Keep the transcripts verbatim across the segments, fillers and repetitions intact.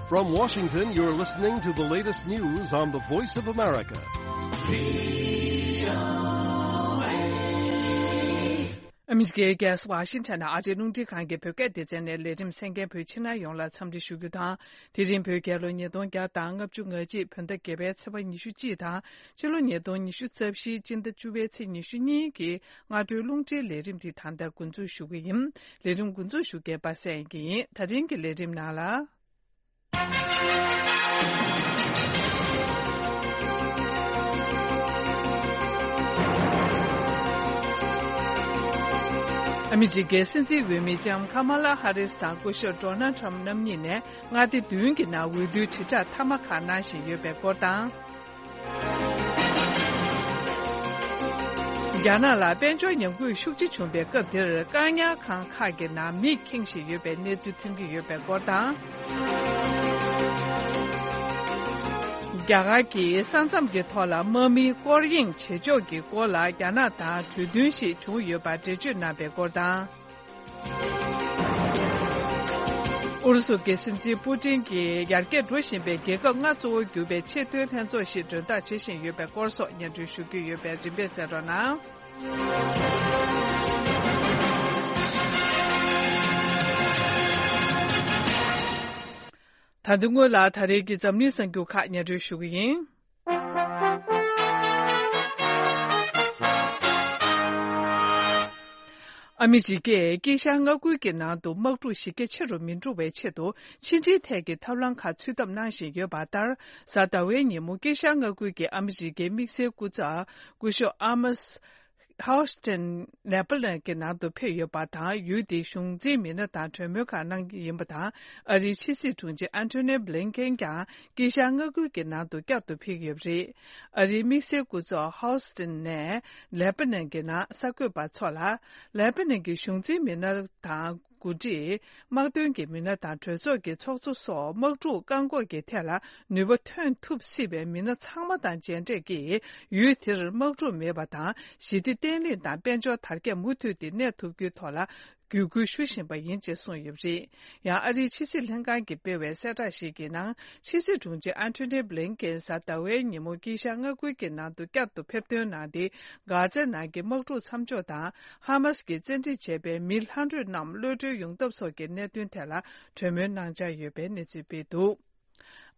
From Washington, you're listening to the latest news on the Voice of America. ཨ་མི་རི་ཀའི་རྒྱལ་ས་ཝ་ཤིང་ཊོན་ཨ་རིའི་རླུང་འཕྲིན་ཁང་གི་བོད་སྐད་སྡེ་ཚན་ནས་ལས་རིམ་གསན་མཁན་བོད་ཕྱི་ནང་ཡོངས་ལ་འཚམས་འདྲི་ཞུ་རྒྱུ་དང་། དེ་རིང་བོད་རྒྱལ་ལོ་ཉིས་སྟོང་བརྒྱ་དང་ལྔ་བཅུ་ང་གཅིག་བོད་ཟླ་བརྒྱད་པའི་ཚེས་པ་ཉི་ཤུ་གཅིག་དང་། ཕྱི་ལོ་ཉིས་སྟོང་ཉི་ཤུ་རྩ་བཞིའི་སྤྱི་ཟླ་བཅུ་པའི་ཚེས་ཉི་ཤུ་གཉིས་ཀྱི་སྔ་དྲོའི་རླུང་འཕྲིན་ལས་རིམ་འདི་ད་ལྟ་འགོ་འཛུགས་ཞུ་གི་ཡིན། ལས་རིམ་འགོ་འཛུགས་ཞུ་མཁན་པ་སངས་དབྱངས་སྐྱིད་ཡིན། ད་རིང་གི་ལས་རིམ་ནང་ལ། ཨ་མི་རི་ཀའི་སྲིད་འཛིན་འོས་མི་ལྕམ་ཁ་མ་ལ་ཧ་རིས་དང་སྐུ་ཞབས་ཌོ་ནལ་ཁྲམ་རྣམ་གཉིས་ནས་མངའ་སྡེ་བདུན་གྱི་ནང་འོས་བསྡུའི་དྲིལ་བསྒྲགས་མཐའ་མ་ཁག་གནང་བཞིན་ཡོད་པའི་སྐོར་དང་། རྒྱ་ནག་ལ་དཔལ་འབྱོར་ཉམས་རྒུད་ཤུགས་ཆེ་བྱུང་བའི་སྐབས་དེར་བཀག་ཉར་ཁང་ཁག་གི་ནང་མིས་ཁེངས་བཞིན་ཡོད་པའི་གནས་ཚུལ་ཐོན་གྱི་ཡོད་པའི་སྐོར་དང་། རྒྱ་གར་གྱིས་ས་མཚམས་ཀྱི་ཐོག་ལ་དམག་མིའི་སྐོར་གཡེང་བྱེད་ཕྱོགས་ཀྱི་སྐོར་ལ་རྒྱ་ནག་དང་གྲོས་མཐུན་ཞིག་བྱུང་ཡོད་པར་འགྲེལ་བརྗོད་གནང་བའི་སྐོར་དང་། ཨུ་རུ་སུ་གི་སྲིད་འཛིན་པུ་ཏིན་གྱིས་ཡར་རྒྱས་འགྲོ་བཞིན་པའི་རྒྱལ་ཁབ་ལྔ་གཙོ་བོར་གྱུར་པའི་ཆེས་མཐོའི་ལྷན་ཚོགས་ཤིག་མགྲོན་བདག་བྱེད་བཞིན་ཡོད་པའི་སྐོར་སོགས་སྙན་སྒྲོན་ཞུ་རྒྱུ་ཡོད་པས་རིམ་པས་གསན་རོགས་གནང་། ད་དུང་སྔོན་ལ་ད་རེས་ཀྱི་འཛམ་གླིང་གསར་འགྱུར་ཁག་སྙན་སྒྲོན་ཞུ་གི་ཡིན། ཨ་མི་རི་ཀས་དཀྱིལ་ཤར་མངའ་ཁུལ་གྱི་ནང་དུ་དམག་འཁྲུག་གཞི་རྒྱ་ཆེ་རུ་མི་འགྲོ་བའི་ཆེད་དུ་ཕྱི་འབྲེལ་ཐད་ཀྱི་ཐབས་ལམ་ཁག་འཚོལ་ཐབས་གནང་བཞིན་ཡོད་པ་ལྟར། གཟའ་ཟླ་བའི་ཉིན་མོ་དཀྱིལ་ཤར་མངའ་ཁུལ་གྱི་ཨ་མི་རི་ཀའི་དམིགས་བསལ་སྐུ་ཚབ་སྐུ་ཞབས་ཨ་མ་སི་ཧའོ་སི་ཏིན་ནེ་པ་ལན་གྱི་ནང་དུ་ཕེབས་ཡོད་པ་དང་། ཡུལ་དེའི་གཞུང་འཛིན་མི་སྣ་དང་གྲོས་མོལ་ཁག་གནང་གི་ཡིན་པ་དང་། ཨ་རིའི་ཕྱི་སྲིད་དྲུང་ཆེ་ཨན་ཐོ་ནི་བྷི་ལིན་ཀེན་ཀྱང་དཀྱིལ་ཤར་མངའ་ཁུལ་གྱི་ནང་དུ་བསྐྱར་དུ་ཕེབས་ཡོད་པ་རེད། ཨ་རིའི་དམིགས་བསལ་སྐུ་ཚབ་ཧའོ་སི་ཏིན་ནས་ལེ་པ་ནན་གྱི་ནང་གསར་འགོད་པ་ཚོ་ལ། ལེ་པ་ནན་གྱི་གཞུང་འཛིན་མི་སྣ་དང་འགོ་ཁྲིད། དམག་དོན་གྱི་མི་སྣ་དང་གྲོས་ཚོགས་ཀྱི་ཚོགས་གཙོ་སོགས་དམག་འཁྲུག་བཀག་འགོག་གི་ཐད་ལ་ནུས་པ་ཐོན་ཐུབ་སྲིད་པའི་མི་སྣ་ཚང་མ་དང་མཇལ་འཕྲད་ཀྱིས། ཡུལ་དེར་དམག་འཁྲུག་མེད་པ་དང་། ཞི་བདེ་བརྟན་ལྷིང་དང་དཔལ་འབྱོར་དར་རྒྱས་མུ་མཐུད་དེ་གནས་ཐུབ་རྒྱུའི་ཐོག་ལ་བརྒྱུད་སྐུལ་ཞུ་བཞིན་པ་ཡིན་ཅེས་གསུངས་ཡོད་པ་རེད། ཡང་ཨ་རིའི་ཕྱི་སྲིད་ལྷན་ཁང་གིས་སྤེལ་བའི་གསལ་བསྒྲགས་ཤིག་གི་ནང་། ཕྱི་སྲིད་དྲུང་ཆེ་ཨན་ཐོ་ནི་བྷི་ལིན་ཀེན་གཟའ་ཟླ་བའི་ཉིན་མོ་དཀྱིལ་ཤར་མངའ་ཁུལ་གྱི་ནང་དུ་བསྐྱར་དུ་ཕེབས་ཐོན་གནང་སྟེ། གྷ་ཛའི་ནང་གི་དམག་འཁྲུག་མཚམས་འཇོག་དང་། ཧ་མ་སི་ཀྱིས་བཙན་ཁྲིད་བྱས་པའི་མི་ལྷག་འཕྲོས་རྣམས་གློད་གྲོལ་ཡོང་ཐབས་སོགས་ཀྱི་གནད་དོན་ཐད་ལ་གྲོས་མོལ་གནང་འཆར་ཡོད་པའི་གནས་ཚུལ་སྤེལ་འདུག་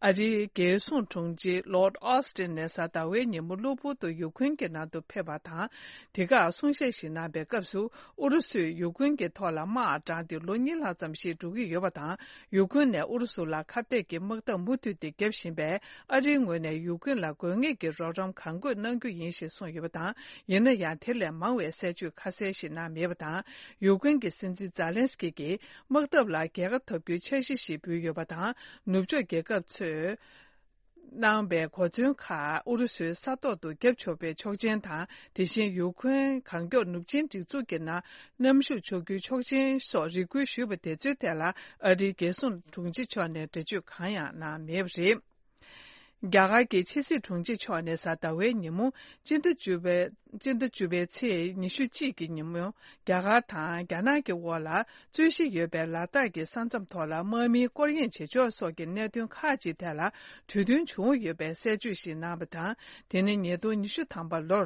ཨ་རིའི་རྒྱལ་སྲུང་དྲུང་ཆེ་ལོར་ཨོ་སི་ཏིན་ནས་གཟའ་ཟླ་བའི་ཉིན་མོ་གློ་བུར་དུ་ཡུ་ཁུན་གྱི་ནང་དུ་ཕེབས་པ་དང་། དེ་ཁར་གསུང་བཤད་ཞིག་གནང་པའི་སྐབས་སུ། ཨུ་རུ་སུས་ཡུ་ཁུན་གྱི་ཐོག་ལ་དམག་དྲངས་ཏེ་ལོ་གཉིས་ལྷག་ཙམ་ཞིག་འགྲོ་གི་ཡོད་པ་དང་། ཡུ་ཁུན་ནས་ཨུ་རུ་སུ་ལ་ཁ་གཏད་ཀྱི་དམག་འཐབ་མུ་མཐུད་དེ་བརྒྱབ་བཞིན་པས། ཨ་རིའི་ངོས་ནས་ཡུ་ཁུན་ལ་དགོས་ངེས་ཀྱི་རོགས་རམ་གང་དགོས་གནང་རྒྱུ་ཡིན་ཞེས་གསུངས་ཡོད་པ་དང་། ཡིན་ན་ཡང་དེ་ལས་མང་བའི་གསལ་བརྗོད་ཁ་གསལ་ཞིག་གནང་མེད་པ་དང་། ཡུ་ཁུན་གྱི་སྲིད་འཛིན་ཛཱ་ལན་སི་ཀི་གིས། དམག་འཐབ་ལ་རྒྱལ་ཁ་ཐོབ་རྒྱུའི་འཆར་གཞི་ཞིག་འབུལ་ཡོད་པ་དང་། ནུབ་ཕྱོགས་རྒྱལ་ཁབ་ཚོས་གནང་བའི་གོ་མཚོན་ཁག་ཨུ་རུ་སུའི་ས་ཐོག་ཏུ་བརྒྱབ་ཆོག་པའི་ཆོག་མཆན་དང་། དེ་བཞིན་ཡུ་ཁུན་གང་མགྱོགས་ནུབ་ཆིངས་སྒྲིག་འཛུགས་ཀྱི་ནང་མཉམ་ཞུགས་ཆོག་རྒྱུའི་ཆོག་མཆན་སོགས་རེ་སྐུལ་ཞུས་པ་དེ་ཚོའི་ཐད་ལ། ཨ་རིའི་རྒྱལ་སྲུང་དྲུང་ཆེ་མཆོག་ནས་འགྲེལ་བརྗོད་གང་ཡང་གནང་མེད་པ་རེད། རྒྱ་གར་གྱི་ཕྱི་སྲིད་དྲུང་ཆེ་མཆོག་ནས་གཟའ་ཟླ་བའི་ཉིན་མོ། སྤྱི་ཟླ་བཅུ་པའི། སྤྱི་ཟླ་བཅུ་པའི་ཚེས་ཉི་ཤུ་གཅིག་གི་ཉིན་མོ། རྒྱ་གར་དང་རྒྱ་ནག་གི་དབར་ལ་རྩོད་གཞི་ཡོད་པའི་ལ་དྭགས་ཀྱི་ས་མཚམས་ཐོག་ལ་དམག་མིའི་སྐོར་གཡེང་བྱེད་ཕྱོགས་སོགས་ཀྱི་གནད་དོན་ཁག་ཅིག་ཐད་ལ་གྲོས་མཐུན་བྱུང་ཡོད་པའི་གསལ་བརྗོད་ཞིག་གནང་བ་དང་། དེ་ནི་ཉིས་སྟོང་ཉི་ཤུ་ཐམ་པ་ལོར་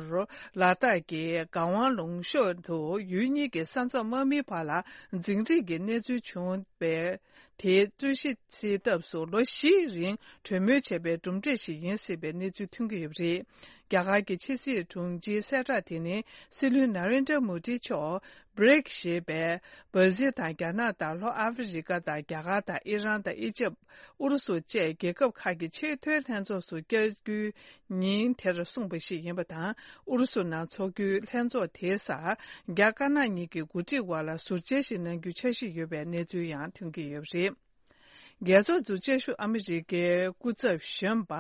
ལ་དྭགས་ཀྱི་ག་ཝང་ལུང་ཤོད་དུ་ཡུལ་གཉིས་ཀྱི་ས་མཚམས་དམག་མིའི་བར་ལ་འཛིང་རེས་ཀྱི་གནས་ཚུལ་བྱུང་བའི། དེའི་རྩོད་གཞི་སེལ་ཐབས་སུ་ལོ་བཞིའི་རིང་གྲོས་མོལ་བྱས་པའི་གྲུབ་འབྲས་ཤིག་ཡིན་སྲིད་པའི་གནས་ཚུལ་ཐོན་གྱི་ཡོད་པ་རེད། རྒྱ་གར་གྱི་ཕྱི་སྲིད་དྲུང་ཆེའི་གསལ་བསྒྲགས་དེ་ནི་སྲིད་བློན་ན་རེན་དྲ་མོ་དི་མཆོག་བྷི་རིག་ཞེས་པའི་བྷ་ཟིལ་དང་རྒྱ་ནག་དང་ལྷོ་ཨ་ཧྥེ་རི་ཀ་དང་རྒྱ་གར་དང་ཨི་རན་དང་ཨི་ཇེབ། ཨུ་རུ་སུ་བཅས་རྒྱལ་ཁབ་ཁག་གི་ཆེས་མཐོའི་ལྷན་ཚོགས་སུ་བསྐྱར་བསྐྱོད་ཉིན་དེར་གསུངས་པ་ཞིག་ཡིན་པ་དང་། ཨུ་རུ་སུ་ནང་འཚོགས་རྒྱུའི་ལྷན་ཚོགས་དེའི་སར་རྒྱ་དཀར་ནག་གཉིས་ཀྱི་འགོ་ཁྲིད་དབར་ལ་ཟུར་མཇལ་ཞིག་གནང་རྒྱུའི་འཆར་གཞི་ཡོད་པའི་གནས་ཚུལ་ཡང་ཐོན་གྱི་ཡོད་པ་རེད། རྒྱལ་ཚོགས་ཀྱི་སྤྱི་ཟུར་ཨ་མི་རི་ཀའི་སྐུ་ཚབ་གཞོན་པ་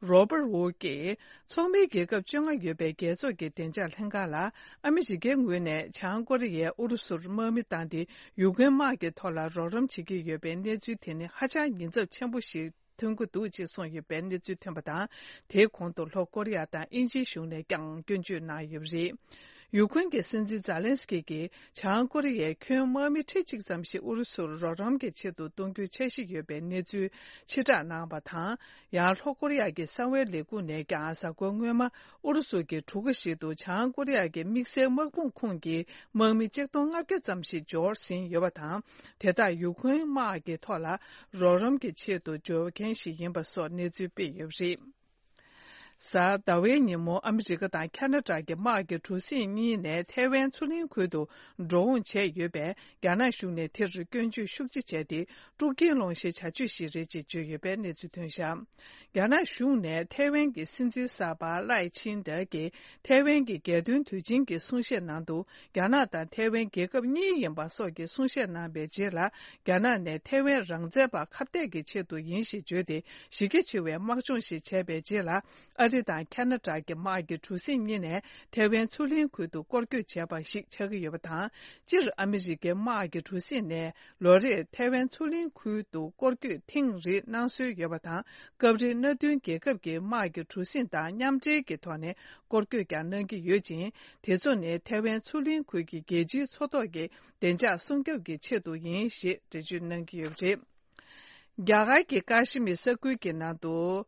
རོ་པར་ཝུཌ་ཀྱིས། ཚོགས་མིའི་རྒྱལ་ཁབ་བཅོ་ལྔ་ཡོད་པའི་རྒྱལ་ཚོགས་ཀྱི་བདེ་འཇགས་ལྷན་ཁང་ལ། ཨ་མི་རི་ཀའི་ངོས་ནས་བྱང་ཀོ་རི་ཡས་ཨུ་རུ་སུར་དམག་མི་བཏང་སྟེ། ཡུ་ཀེན་དམག་གི་ཐོག་ལ་རོགས་རམ་བྱེད་ཀྱི་ཡོད་པའི་གནས་ཚུལ་དེ་ནི་ཧ་ཅང་ཉེན་ཚབས་ཆེན་པོ་ཞིག་ཐོན་གྱི་འདུག་ཅེས་གསུངས་ཡོད་པའི་གནས་ཚུལ་ཐོན་པ་དང་། དེའི་གོང་དུ་ལྷོ་ཀོ་རི་ཡ་དང་དབྱིན་ཇིའི་གཞུང་ནས་ཀྱང་སྐྱོན་བརྗོད་གནང་ཡོད་པ་རེད། ཡུ་ཁུན་གྱི་སྲིད་འཛིན་ཛཱ་ལན་སི་ཀི་གིས་བྱང་ཀོ་རི་ཡའི་ཁྱོན་དམག་མི་ཁྲི་གཅིག་ཙམ་ཞིག་ཨུ་རུ་སུར་རོགས་རམ་གྱི་ཆེད་དུ་གཏོང་རྒྱུའི་འཆར་གཞི་ཡོད་པའི་གནས་ཚུལ་ཕྱིར་བསྒྲགས་གནང་བ་དང་། ཡང་ལྷོ་ཀོ་རི་ཡ་གི་གསང་བའི་ལས་ཁུངས་ནས་ཀྱང་གཟའ་འཁོར་སྔོན་མ་ཨུ་རུ་སུ་གི་གྲུ་ཁ་ཞིག་ཏུ་བྱང་ཀོ་རི་ཡ་གི་དམིགས་བསལ་དམག་དཔུང་ཁོངས་ཀྱི་དམག་མི་ཆིག་སྟོང་ལྔ་བརྒྱ་ཙམ་ཞིག་འབྱོར་ཟིན་ཡོད་པ་དང་། དེ་དག་ཡུ་ཁུན་དམག་གི་ཐོག་ལ་རོགས་རམ་གྱི་ཆེད་དུ་འབྱོར་མཁན་ཞིག་ཡིན་པ་སོགས་གནས་ཚུལ་སྤེལ་ཡོད་པ་རེད། གཟའ་ཟླ་བའི་ཉིན་མོ་ཨ་མི་རི་ཀ་དང་ཁ་ན་ཌ་གི་དམག་གི་གྲུ་གཟིངས་གཉིས་ནས་ཐའེ་ཝན་མཚོ་གླིང་ཁུལ་དུ་འགྲོ་འོང་བྱས་ཡོད་པས། རྒྱ་ནག་གཞུང་ནས་དེར་སྐྱོན་བརྗོད་ཤུགས་ཆེ་བྱས་ཏེ། དཀྲུག་རྐྱེན་སློང་ཤེས་བྱ་སྤྱོད་ཞིག་རེད་ཅེས་བརྗོད་ཡོད་པའི་གནས་ཚུལ་ཐོན་བཞག་རྒྱ་ནག་གཞུང་ནས་ཐའེ་ཝན་གྱི་སྲིད་འཛིན་གསར་པ་ལའེ་ཆིན་ཏེ་གིས་ཐའེ་ཝན་གྱི་རྒྱལ་དོན་དུས་ཆེན་གྱི་གསུང་བཤད་ནང་དུ། རྒྱ་ནག་དང་ཐའེ་ཝན་རྒྱལ་ཁབ་གཉིས་ཡིན་པ་སོགས་ཀྱི་གསུང་བཤད་གནང་བའི་རྗེས་ལ། རྒྱ་ནག་ནས་ཐའེ་ཝན་རང་བཙན་པ་ཁ་གཏད་ཀྱི་ཆེད་དུ་ཡིན་ཞེས་བརྗོད་དེ། གཞི་རྒྱ་ཆེ་བའི་དམག་སྦྱོང་ཞིག་བྱས་པའི་རྗེས་ལ། ཨ་རི་དང་ཁ་ན་ཌ་གྱི་དམག་གི་གྲུ་གཟིངས་གཉིས་ནས་ཐའེ་ཝན་མཚོ་གླིང་ཁུལ་དུ་སྐོར་སྐྱོད་བྱས་པ་ཞིག་ཆགས་ཀྱི་ཡོད་པ་དང་། སྤྱིར་ཨ་མི་རི་ཀའི་དམག་གི་གྲུ་གཟིངས་ནས་ལོ་རེར་ཐའེ་ཝན་མཚོ་གླིང་ཁུལ་དུ་སྐོར་སྐྱོད་ཐེངས་རེ་གནང་སྲོལ་ཡོད་པ་དང་། སྐབས་རེ་མནའ་མཐུན་རྒྱལ་ཁབ་ཀྱི་དམག་གི་གྲུ་གཟིངས་དང་མཉམ་འབྲེལ་གྱི་ཐོག་ནས་སྐོར་སྐྱོད་ཀྱང་གནང་གི་ཡོད་ཅིང་། དེ་ཚོ་ནི་ཐའེ་ཝན་མཚོ་གླིང་ཁུལ་གྱི་རྒྱལ་སྤྱིའི་མཚོ་ཐོག་གི་བདེ་འཇགས་སྲུང་སྐྱོབ་ཀྱི་ཆེད་དུ་ཡིན་ཞེས་འགྲེལ་བརྗོད་གནང་གི་ཡོད་པ་རེད། རྒྱ་གར་གྱི་ཀ་ཤི་མིར་ས་ཁུལ་གྱི་ནང་དུ།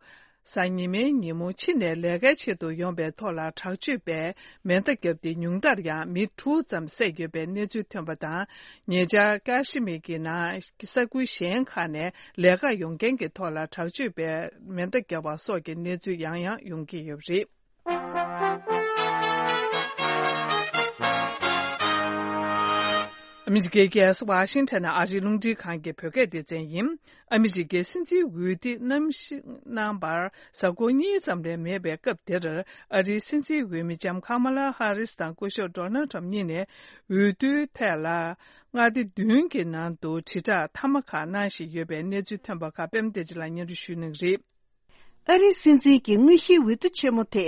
གཟའ་ཉི་མའི་ཉིན་མོ་ཕྱི་ནས་ལས་ཀའི་ཆེད་དུ་ཡོང་པའི་ཐོག་ལ་དྲག་སྤྱོད་པས་མེ་མདའ་བརྒྱབ་སྟེ། ཉུང་མཐར་ཡང་མི་དྲུག་ཙམ་བསད་ཡོད་པའི་གནས་ཚུལ་ཐོན་པ་དང་། ཉེ་ཆར་ཀ་ཤི་མིར་གྱི་ནང་ས་ཁུལ་གཞན་ཁག་ནས་ལས་ཀར་ཡོང་མཁན་གྱི་ཐོག་ལ་དྲག་སྤྱོད་པས་མེ་མདའ་བརྒྱབ་པ་སོགས་ཀྱི་གནས་ཚུལ་ཡང་ཡང་ཡོང་གི་ཡོད་པ་རེད། ཨ་མི་རི་ཀའི་རྒྱལ་ས་ཝ་ཤིང་ཊོན་ནས་ཨ་རིའི་རླུང་འཕྲིན་ཁང་གི་བོད་སྐད་སྡེ་ཚན་ཡིན། ཨ་མི་རི་ཀའི་སྲིད་འཛིན་འོས་བསྡུ་གནམ་གཤིས་གནང་བར་གཟའ་འཁོར་གཉིས་ཙམ་ལས་མེད་པའི་སྐབས་འདིར། ཨ་རིའི་སྲིད་འཛིན་འོས་མི་ལྕམ་ཁ་མ་ལ་ཧ་རིས་དང་སྐུ་ཞབས་ཌོ་ནལ་ཊམ་གཉིས་ནས་འོས་བསྡུའི་ཐད་ལ་མངའ་སྡེ་བདུན་གྱི་ནང་དུ་དྲིལ་བསྒྲགས་མཐའ་མ་ཁག་གནང་བཞིན་ཡོད་པའི་གནས་ཚུལ་ཐོན་པ་ཁག་པད་མ་བདེ་ཆེན་ལགས་སྙན་སྒྲོན་ཞུ་གནང་གི་རེད། ཨ་རིའི་སྲིད་འཛིན་གྱི་དངོས་གཞིའི་འོས་བསྡུ་ཆེན་མོ་དེ་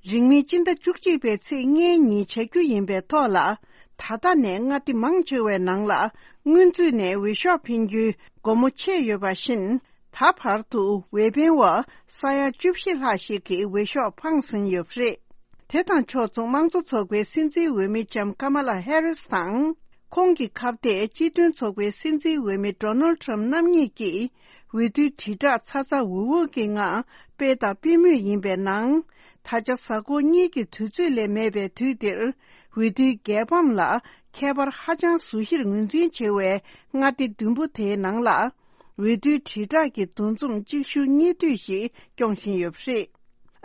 རིང་མིན་སྤྱི་ཟླ་བཅུ་གཅིག་པའི་ཚེས་ལྔའི་ཉིན་བྱ་རྒྱུ་ཡིན་པའི་ཐོག་ལ། ད་ལྟ་ནས་མངའ་སྡེ་མང་ཆེ་བའི་ནང་ལ་སྔོན་ཚུད་ནས་འོས་ཤོག་འཕེན་རྒྱུའི་སྒོ་མོ་ཕྱེ་ཡོད་པ་བཞིན། ད་བར་དུ་འོས་འཕེན་པ་ས་ཡ་བཅུ་བཞི་ལྷག་ཞིག་གིས་འོས་ཤོག་འཕངས་ཟིན་ཡོད་པ་རེད། དེ་དང་ཕྱོགས་མཚུངས་དམངས་གཙོ་ཚོགས་པའི་སྲིད་འཛིན་འོས་མི་ལྕམ་ཀ་མ་ལ་ཧེ་རིས་དང་། ཁོང་གི་ཁ་གཏད་སྤྱི་མཐུན་ཚོགས་པའི་སྲིད་འཛིན་འོས་མི་ཌོ་ནལ་ཊམ་རྣམ་གཉིས་ཀྱིས་འོས་བསྡུའི་དྲིལ་བསྒྲགས་ཚ་ཚ་འུར་འུར་གྱི་ངང་སྤེལ་དང་སྤེལ་མུས་ཡིན་པའི་ནང་། ད་ཆ་གཟའ་འཁོར་གཉིས་ཀྱི་དུས་ཚོད་ལས་མེད་པའི་དུས་འདིར། འོས་བསྡུའི་རྒྱལ་ཕམ་ལ་ཁྱད་པར་ཧ་ཅང་བཟོ་གཞིར་ངོས་འཛིན་བྱེད་པའི་མངའ་སྡེ་བདུན་པོ་དེའི་ནང་ལ། འོས་བསྡུའི་དྲིལ་བསྒྲགས་ཀྱི་འདུ་འཛོམས་གཅིག་མཇུག་གཉིས་མཐུད་ཞིག་སྐྱོང་བཞིན་ཡོད་པ་རེད།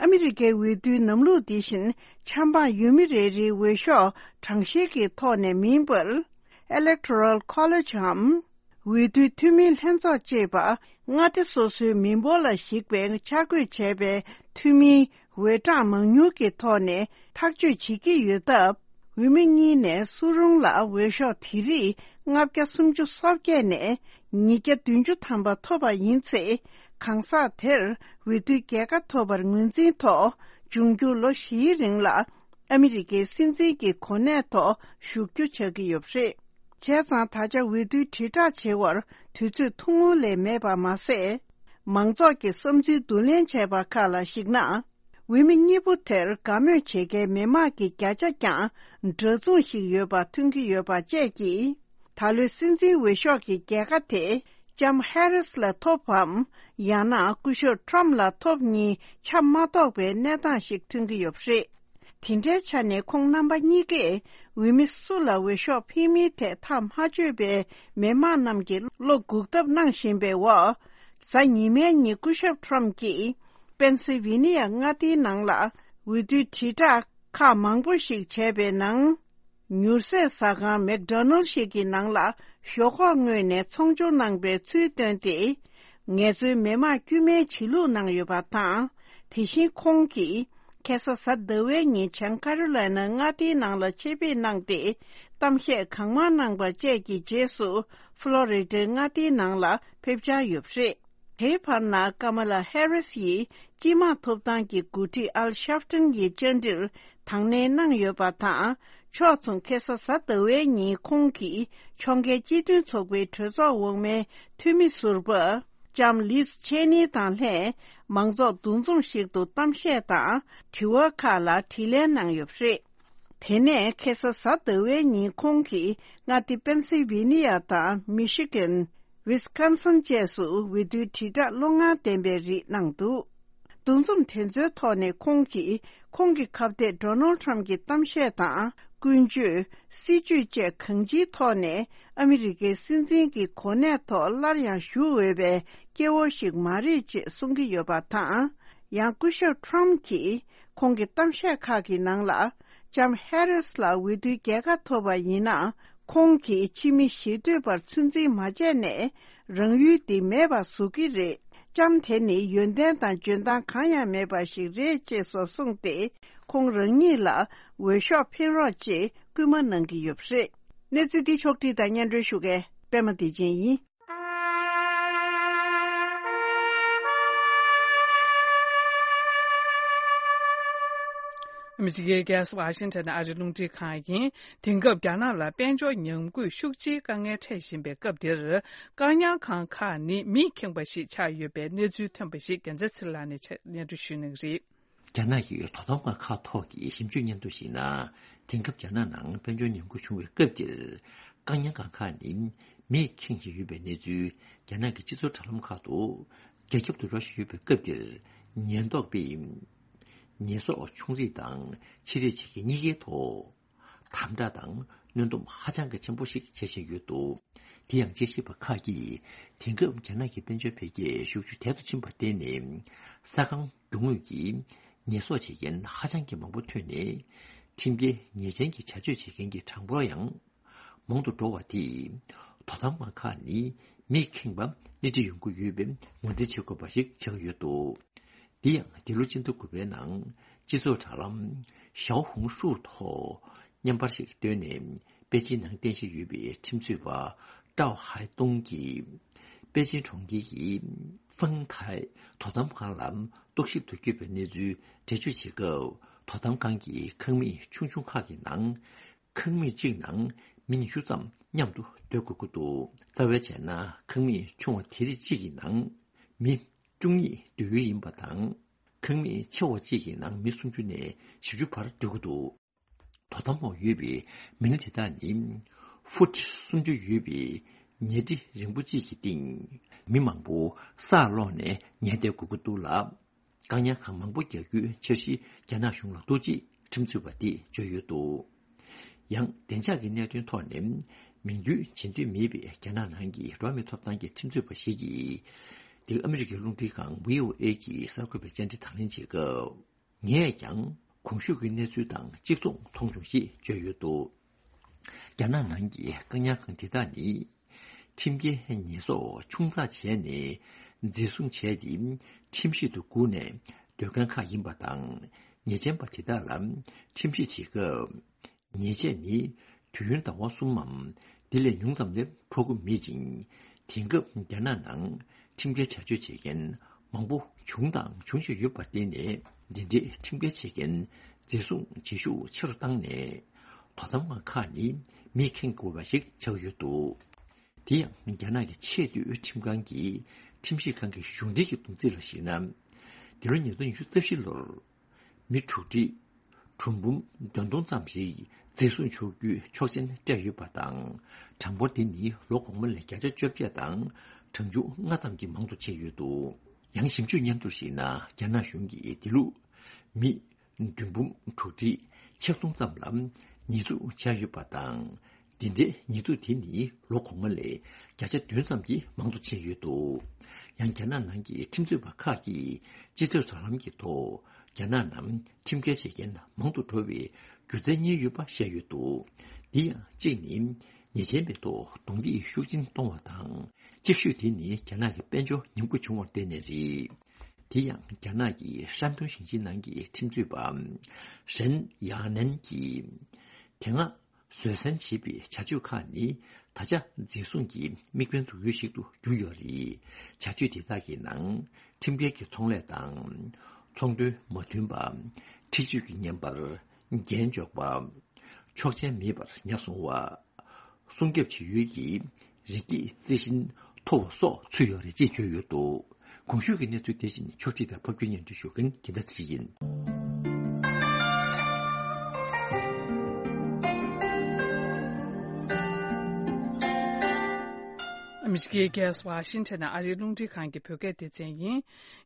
ཨ་མི་རི་ཀའི་འོས་བསྡུའི་ལམ་ལུགས་འདི་བཞིན་ཆབ་འབངས་ཡུལ་མི་རེ་རེའི་འོས་ཤོག་གྲངས་བཤེར་གྱི་ཐོག་ནས་མིན་པར། Electoral College འམ། འོས་བསྡུའི་འཐུས་མིའི་ལྷན་ཚོགས་ཅེས་པ། མངའ་སྡེ་སོ་སོའི་མི་འབོར་ལ་གཞིགས་པའི་ཆ་བགོས་བྱས་པའི་འཐུས་མིའི་འོས་གྲངས་མང་ཉུང་གི་ཐོག་ནས་ཐག་གཅོད་བྱེད་ཀྱི་ཡོད་སྟབས། འོས་མི་གཉིས་ནས་སུ་རུང་ལ་འོས་ཤོག་དེ་རིགས་ལྔ་བརྒྱ་སུམ་ཅུ་སོ་བརྒྱད་ནས་ཉིས་བརྒྱ་བདུན་ཅུ་ཐམ་པ་ཐོབ་པ་ཡིན་ཚེ། གང་ཟག་དེར་འོས་བསྡུའི་རྒྱལ་ཁ་ཐོབ་པར་ངོས་འཛིན་ཐོག་འབྱུང་འགྱུར་ལོ་བཞིའི་རིང་ལ་ཨ་མི་རི་ཀའི་སྲིད་འཛིན་གྱི་གོ་གནས་ཐོག་བཞུགས་རྒྱུ་ཆགས་ཀྱི་ཡོད་པ་རེད། བྱས་ཙང་། ད་ཆ་འོས་བསྡུའི་དྲིལ་བསྒྲགས་བྱེད་པར་དུས་ཚོད་ཐུང་ངུ་ལས་མེད་པ་མ་ཟད། མང་ཚོགས་ཀྱི་བསམ་ཚུལ་བསྡུ་ལེན་བྱས་པ་ཁག་ལ་གཞིགས་ན། འོས་མི་གཉིས་པོ་དེར་དགའ་མོས་བྱེད་མཁན་མི་མང་གི་བརྒྱ་ཆ་ཀྱང་འདྲ་མཚུངས་ཤིག་ཡོད་པ་ཐོན་གྱི་ཡོད་པ་བཅས་ཀྱིས། ད་ལོའི་སྲིད་འཛིན་འོས་ཤོག་གི་རྒྱལ་ཁ་དེ་ལྕམ་ཧེ་རིས་ལ་ཐོབ་བམ། ཡང་ན་སྐུ་ཞབས་ཊམ་ལ་ཐོབ་གཉིས་ཆ་མ་རྟོགས་པའི་གནས་སྟངས་ཤིག་ཐོན་གྱི་ཡོད་པ་རེད། དེ་འདྲའི་ཆ་ནས་ཁོང་རྣམ་པ་གཉིས་ཀས་འོས་མི་སུ་ལ་འོས་ཤོག་འཕེན་མིན་ཐད་ཐག་མ་ཆོད་པའི་མི་མང་རྣམས་ཀྱི་བློ་འགུག་ཐབས་གནང་བཞིན་པའི་འོག་གཟའ་ཉི་མའི་ཉིན་སྐུ་ཞབས་ཊམ་གྱིས་པེན་སིལ་ཝེ་ནི་ཡ་མངའ་སྡེའི་ནང་ལ་འོས་བསྡུའི་དྲིལ་བསྒྲགས་ཁག་མང་པོ་ཞིག་བྱས་པའི་ནང་། མྱུར་ཟས་ཟ་ཁང་མེག་ཌོ་ནལ་ཞིག་གི་ནང་ལ་ཞོག་ཁོག་བརྔོས་ནས་ཚོང་སྦྱོར་གནང་པའི་ཚུལ་བཏོན་ཏེ། ངལ་རྩོལ་མི་མང་དཀྱུས་མའི་བྱེད་ལུགས་གནང་ཡོད་པ་དང་། དེ་བཞིན་ཁོང་གིས་ཁ་སང་གཟའ་ཟླ་བའི་ཉིན་བྱང་ཀ་རོ་ལའི་ན་མངའ་སྡེའི་ནང་ལ་ཆེད་ཕེབས་གནང་སྟེ། གཏམ་བཤད་གང་མང་གནང་པ་བཅས་ཀྱི་རྗེས་སུ་ཕློ་རི་ཌའི་མངའ་སྡེའི་ནང་ལ་ཕེབས་འཆར་ཡོད་པ་རེད། དེའི་བར་ན་ཀ་མ་ལ་ཧེ་རིས་ཡིས་སྤྱི་དམངས་ཐོབ་ཐང་གི་འགོ་ཁྲིད་ཨལ་ཤབ་ཏན་གྱི་བཅར་འདྲིར་དང་ལེན་གནང་ཡོད་པ་དང་། ཕྱོགས་མཚུངས་ཁ་སང་གཟའ་ཟླ་བའི་ཉིན་ཁོང་གིས་ཕྱོགས་འགལ་སྤྱི་མཐུན་ཚོགས་པའི་གྲོས་ཚོགས་འོག་མའི་འཐུས་མི་ཟུར་པ་ལྕམ་ལིས་ཆེ་ནི་དང་ལྷན་མང་ཚོགས་འདུ་འཛོམས་ཤིག་ཏུ་གཏམ་བཤད་དང་དྲི་བ་ཁག་ལ་དྲིས་ལན་གནང་ཡོད་པ་རེད། དེ་ནས་ཁ་སང་གཟའ་ཟླ་བའི་ཉིན་ཁོང་གིས་མངའ་སྡེ་པེན་སིལ་ཝེ་ནི་ཡ་དང་མི་ཤི་གན། ཝི་སི་ཀོན་སིན་བཅས་སུ་འོས་བསྡུའི་དྲིལ་བསྒྲགས་བློ་ངར་ལྡན་པའི་རིགས་གནང་འདུག་འདུ་འཛོམས་དེ་ཚོའི་ཐོག་ནས་ཁོང་གིས་ཁོང་གི་ཁ་གཏད་ཌོ་ནལ་ཊམ་གྱི་གཏམ་བཤད་དང་ཀུན་སྤྱོད། སྲིད་ཇུས་བཅས་གང་ཅིའི་ཐོག་ནས་ཨ་མི་རི་ཀའི་སྲིད་འཛིན་གྱི་གོ་གནས་ཐོག་སླར་ཡང་བཞུགས་འོས་པའི་སྐྱེ་བོ་ཞིག་མ་རེད་ཅེས་གསུང་གི་ཡོད་པ་དང་། ཡང་སྐུ་ཞབས་ཊམ་གྱིས་ཁོང་གི་གཏམ་བཤད་ཁག་གི་ནང་ལ། ལྕམ་ཧེ་རིས་ལ་འོས་བསྡུའི་རྒྱལ་ཁ་ཐོབ་པ་ཡིན་ན། ཁོང་གིས་ཕྱི་མི་ཞེ་འདོད་པར་ཚོད་འཛིན་མ་བྱས་ནས། རང་ཡུལ་འདི་མེད་པར་བཟོ་གི་རེད། ལྕམ་དེ་ནི་ཡོན་ཏན་དང་འཇོན་ཐང་གང་ཡང་མེད་པ་ཞིག་རེད་ཅེས་སོགས་གསུངས་ཏེ། ཁོང་རང་ཉིད་ལ་འོས་ཤོག་འཕེན་རོགས་ཅེས་སྐུལ་མ་གནང་གི་ཡོད་པ་རེད། གནས་ཚུལ་འདི་ཕྱོགས་བསྒྲིགས་དང་སྙན་སྒྲོན་ཞུ་མཁན་པད་མ་བདེ་ཆེན་ཡིན། ཨ་མི་རི་ཀའི་རྒྱལ་ས་ཝ་ཤིང་ཊོན་ཨ་རིའི་རླུང་འཕྲིན་ཁང་ཡིན། དེང་སྐབས་རྒྱ་ནག་ལ་དཔལ་འབྱོར་ཉམས་རྒུད་ཤུགས་ཆེའི་དཀའ་ངལ་འཕྲད་བཞིན་པའི་སྐབས་འདིར། བཀག་ཉར་ཁང་ཁག་ནི་མིས་ཁེངས་པ་ཞིག་ཆགས་ཡོད་པའི་གནས་ཚུལ་ཐོན་པ་ཞིག་རྒྱལ་མཚན་ཚེ་རིང་ལགས་ནས་སྙན་སྒྲོན་ཞུ་གནང་གི་རེད། རྒྱ་ནག་གི་དོ་དམ་ཁང་ཁག་ཐོག་གི་ཞིབ་འཇུག་སྙན་ཐོ་ཞིག་ནང་། དེང་སྐབས་རྒྱ་ནག་ནང་དཔལ་འབྱོར་ཉམས་རྒུད་བྱུང་བའི་སྐབས་འདིར། བཀག་ཉར་ཁང་ཁག་ནི་མིས་ཁེངས་བཞིན་ཡོད་པའི་གནས་ཚུལ་རྒྱ་ནག་གི་སྤྱི་ཚོགས་དྲ་ལམ་ཁག་ཏུ་རྒྱ་ཁྱབ་ཏུ་འགྲོ་བཞིན་ཡོད་པའི་སྐབས་འདིར། ཉེན་རྟོག་པས་ཉེས་གསོག་ཆུང་རིགས་དང་ཆེ་རིགས་བྱེད་མཁན་གཉིས་ཀའི་ཐོག་དམ་དྲག་དང་གནོན་སྡོམ་ཧ་ཅང་གི་ཆེན་པོ་ཞིག་བྱེད་བཞིན་ཡོད་འདུག་དེ་ཡང་དཔྱད་ཞིབ་པ་ཁག་གིས། དེང་སྐབས་རྒྱ་ནག་གི་དཔལ་འབྱོར་འཕེལ་རྒྱས་ཤུགས་ཆེ་དལ་དུ་ཕྱིན་པར་བརྟེན་ནས། ས་ཁང་རྒྱུ་དངོས་ཀྱི་ཉེས་གསོག་བྱེད་མཁན་ཧ་ཅང་གི་མང་པོ་ཐོན་ནས། ཁྲིམས་འགལ་ཉེས་ཅན་གྱི་བྱ་སྤྱོད་བྱེད་མཁན་གྱི་གྲངས་འབོར་ཡང་མང་དུ་འགྲོ་བ་དེས། དོ་དམ་པ་ཁག་ནི་མིས་ཁེངས་པ་སྣེ་ཁྲིད་ཡོང་གི་ཡོད་པའི་ངོས་འཛིན་བྱེད་དགོས་པ་ཞིག་ཆགས་ཡོད་འདུག་འདི་ཡང་འདི་ལོ་སྤྱི་ཟླ་དགུ་པའི་ནང་སྤྱི་ཚོགས་དྲ་ལམ་ཞའོ་ཧུང་ཧྲུའུ་ཐོག་བརྙན་པར་ཞིག་བཏོན་ནས། པེ་ཅིན་ནང་རྟེན་གཞི་ཡོད་པའི་ཁྲིམས་རྩོད་པ་ཀྲའོ་ཧའེ་ཏུང་གིས། པེ་ཅིན་གྲོང་ཁྱེར་གྱི་ཧྥང་ཐའེ་དོ་དམ་ཁང་ལ་རྟོག་ཞིབ་ཏུ་བསྐྱོད་པའི་གནས་ཚུལ་འགྲེལ་བརྗོད་བྱེད་སྐབས། དོ་དམ་ཁང་གི་ཁང་མིག་ཆུང་ཆུང་ཁག་གི་ནང་། ཁང་མིག་གཅིག་ནང་མི་ཉི་ཤུ་ཙམ་མཉམ་དུ་སྡོད་དགོས་ཀྱི་འདུག་རྩ་བའི་བྱས་ན། ཁང་མིག་ཆུང་བ་དེ་རིགས་གཅིག་གི་ནང་མི་བཅུ་གཉིས་སྡོད་ཡུལ་ཡིན་པ་དང་། ཁང་མིག་ཆེ་བ་གཅིག་གི་ནང་མི་སུམ་ཅུ་ནས་བཞི་བཅུ་བར་སྡོད་ཀྱི་འདུག་དོ་དམ་འོག་ཡོད་པའི་མི་སྣ་དེ་དག་ནི། ཧྥུ་ཊི་སུམ་ཅུ་ཡོད་པའི་ཉལ་ཁྲི་རིང་པོ་གཅིག་གི་སྟེང་། མི་མང་པོ་སར་ལོག་ནས་ཉལ་བསྡད་དགོས་ཀྱི་འདུག་ལ། བཀག་ཉར་ཁང་མང་པོ་རྒྱག་རྒྱུའི་འཆར་གཞི་རྒྱ་ནག་གཞུང་ལ་འདུག་ཅེས་ཁྲིམས་རྩོད་པ་དེས་བརྗོད་ཡོད་འདུག་ཡང་བདེ་འཇགས་ཀྱི་གནད་དོན་ཐོག་ནས་མིང་འདོན་བྱེད་འདོད་མེད་པའི་རྒྱ་ནག་ནང་གི་འགྲོ་བ་མིའི་ཐོབ་ཐང་གི་ཁྲིམས་རྩོད་པ་ཞིག་གིས། འདི་ཨ་མི་རི་ཀའི་རླུང་འཕྲིན་ཁང་བྷི་ཨོ་ཨེ་གྱི་གསར་འགོད་པའི་བཅར་འདྲི་དང་ལེན་བྱེད་སྐབས། ངས་ཀྱང་གོང་ཞུས་ཀྱི་གནས་ཚུལ་དང་གཅིག་མཚུངས་མཐོང་བྱུང་ཞེས་བརྗོད་ཡོད་འདུག་རྒྱ་ནག་ནང་གི་བཀག་ཉར་ཁང་དེ་དག་ནི། ཁྲིམས་འགལ་ཉེས་གསོག་ཆུང་ཙག་བྱས་ནས་འཛིན་བཟུང་བྱས་ཏེ། ཁྲིམས་ཤིག་ཏུ་བསྒུགས་ནས་སྡོད་མཁན་ཁག་ཡིན་པ་དང་། ཉེས་ཅན་པ་དེ་དག་ལ་ཁྲིམས་ཞིབ་བྱེད་སྐབས། ཉེས་ཆད་ནི་དུས་ཡུན་ཟླ་བ་གསུམ་མམ། དེ་ལས་ཉུང་ཙམ་ལས་འཕོག་གི་མེད་ཅིང་། དེང་སྐབས་རྒྱ་ནག་ནང་ཁྲིམས་འགལ་བྱ་སྤྱོད་བྱེད་མཁན་མང་པོ་བྱུང་དང་འབྱུང་བཞིན་ཡོད་པར་བརྟེན་ནས། འདི་འདྲའི་ཁྲིམས་འགལ་བྱེད་མཁན་འཛིན་བཟུང་བྱེད་ཤུགས་ཆེ་རུ་བཏང་ནས། དོ་དམ་ཁང་ཁག་ནི་མིས་ཁེངས་དགོས་པ་ཞིག་ཆགས་ཡོད་འདུག་དེ་ཡང་རྒྱ་ནག་གི་ཆེས་མཐོའི་ཁྲིམས་ཁང་གི་ཁྲིམས་ཞིབ་ཁང་གི་གཞུང་འབྲེལ་གྱི་བསྡོམས་རྩིས་ལ་གཞིགས་ན། འདི་ལོ་ཉིས་སྟོང་ཉི་ཤུ་རྩ་བཞི་ལོར། མི་དྲུག་ཁྲི་གྲངས་འབུམ་བདུན་སྟོང་ཙམ་ཞིག་འཛིན་བཟུང་ཆོག་རྒྱུའི་ཆོག་མཆན་སྤྲད་ཡོད་པ་དང་། གྲངས་འབོར་དེ་ནི་ལོ་གོང་མ་ལས་བརྒྱ་ཆ་བཅོ་བརྒྱད་དང་གྲངས་ཆུང་ལྔ་ཙམ་གྱིས་མང་དུ་ཕྱིན་ཡོད་འདུག་ཡང་ཞིབ་འཇུག་སྙན་ཐོར་ཞིག་ནང་རྒྱ་ནག་གཞུང་གིས་དེ་ལུགས་མི་བདུན་འབུམ་དྲུག་ཁྲི་ཆིག་སྟོང་ཙམ་ལ་ཉེས་འཛུགས་བྱས་ཡོད་པ་དང་། འདི་འདྲའི་ཉེས་འཛུགས་དེ་ནི་ལོ་གོང་མ་ལས་བརྒྱ་ཆ་བདུན་ཙམ་གྱིས་མང་དུ་ཕྱིན་ཡོད་འདུག་ཡང་རྒྱ་ནག་ནང་གི་ཁྲིམས་རྩོད་པ་ཁག་གིས་སྤྱི་ཚོགས་དྲ་ལམ་གྱི་ཐོག་རྒྱ་ནག་ནང་ཁྲིམས་འགལ་བྱེད་མཁན་མང་དུ་འགྲོ་བའི་རྒྱུ་མཚན་གཉིས་ཡོད་པ་བཤད་ཡོད་འདུག་འདི་ཡང་གཅིག་ནི་ཉེས་ཅན་པའི་ཐོག་རྡུང་རྡེག་ཤུགས་ཆེན་གཏོང་བ་དང་། གཅིག་ཤོས་དེ་ནི་རྒྱ་ནག་གི་དཔལ་འབྱོར་ཉམས་རྒུད་བྱུང་བར་བརྟེན་ནས་རེད། དེ་ཡང་རྒྱ་ནག་གི་ཧྲན་ཏུང་ཞིང་ཆེན་ནང་གི་ཁྲིམས་རྩོད་པ་ཧྲན་ཡ་ནན་གྱིས། དེ་སྔ་བཟོད་བསྲན་བྱེད་པའི་བྱ་སྤྱོད་ཁག་ནི་ད་ཆ་འཛིན་བཟུང་གི་དམིགས་འབེན་འཛུགས་ཡུལ་ཞིག་ཏུ་གྱུར་ཡོད་རེད། བྱ་སྤྱོད་དེ་དག་གི་ནང་ཁྲིམས་འགལ་གྱི་ཚོང་ལས་དང་། ཚོང་དོན་མ་མཐུན་པ། འཁྲིག་སྤྱོད་ཀྱི་བརྙན་པར་རྒྱན་འཇོག་པ། ཆོག་མཆན་མེད་པར་ཉ་བཟུང་བ། སྲུང་སྐྱོབ་བྱེད་ཡུལ་གྱི་རི་སྐྱེས་རྩི་ཤིང་འཐོར་བ་སོགས་ཚུད་ཡོད་རེད་ཅེས་བརྗོད་ཡོད་འདུག་གོང་ཞུས་ཀྱི་གནས་ཚུལ་དེ་བཞིན་ཕྱོགས་སྒྲིག་དང་ཕབ་སྒྱུར་སྙན་སྒྲོན་ཞུ་མཁན་དགེ་ལྡན་ཚེ་རིང་ཡིན། ཨ་མི་རི་ཀའི་རྒྱལ་ས་ཝ་ཤིང་ཊོན་ནས་ཨ་རིའི་རླུང་འཕྲིན་ཁང་གི་བོད་སྐད་སྡེ་ཚན་ཡིན།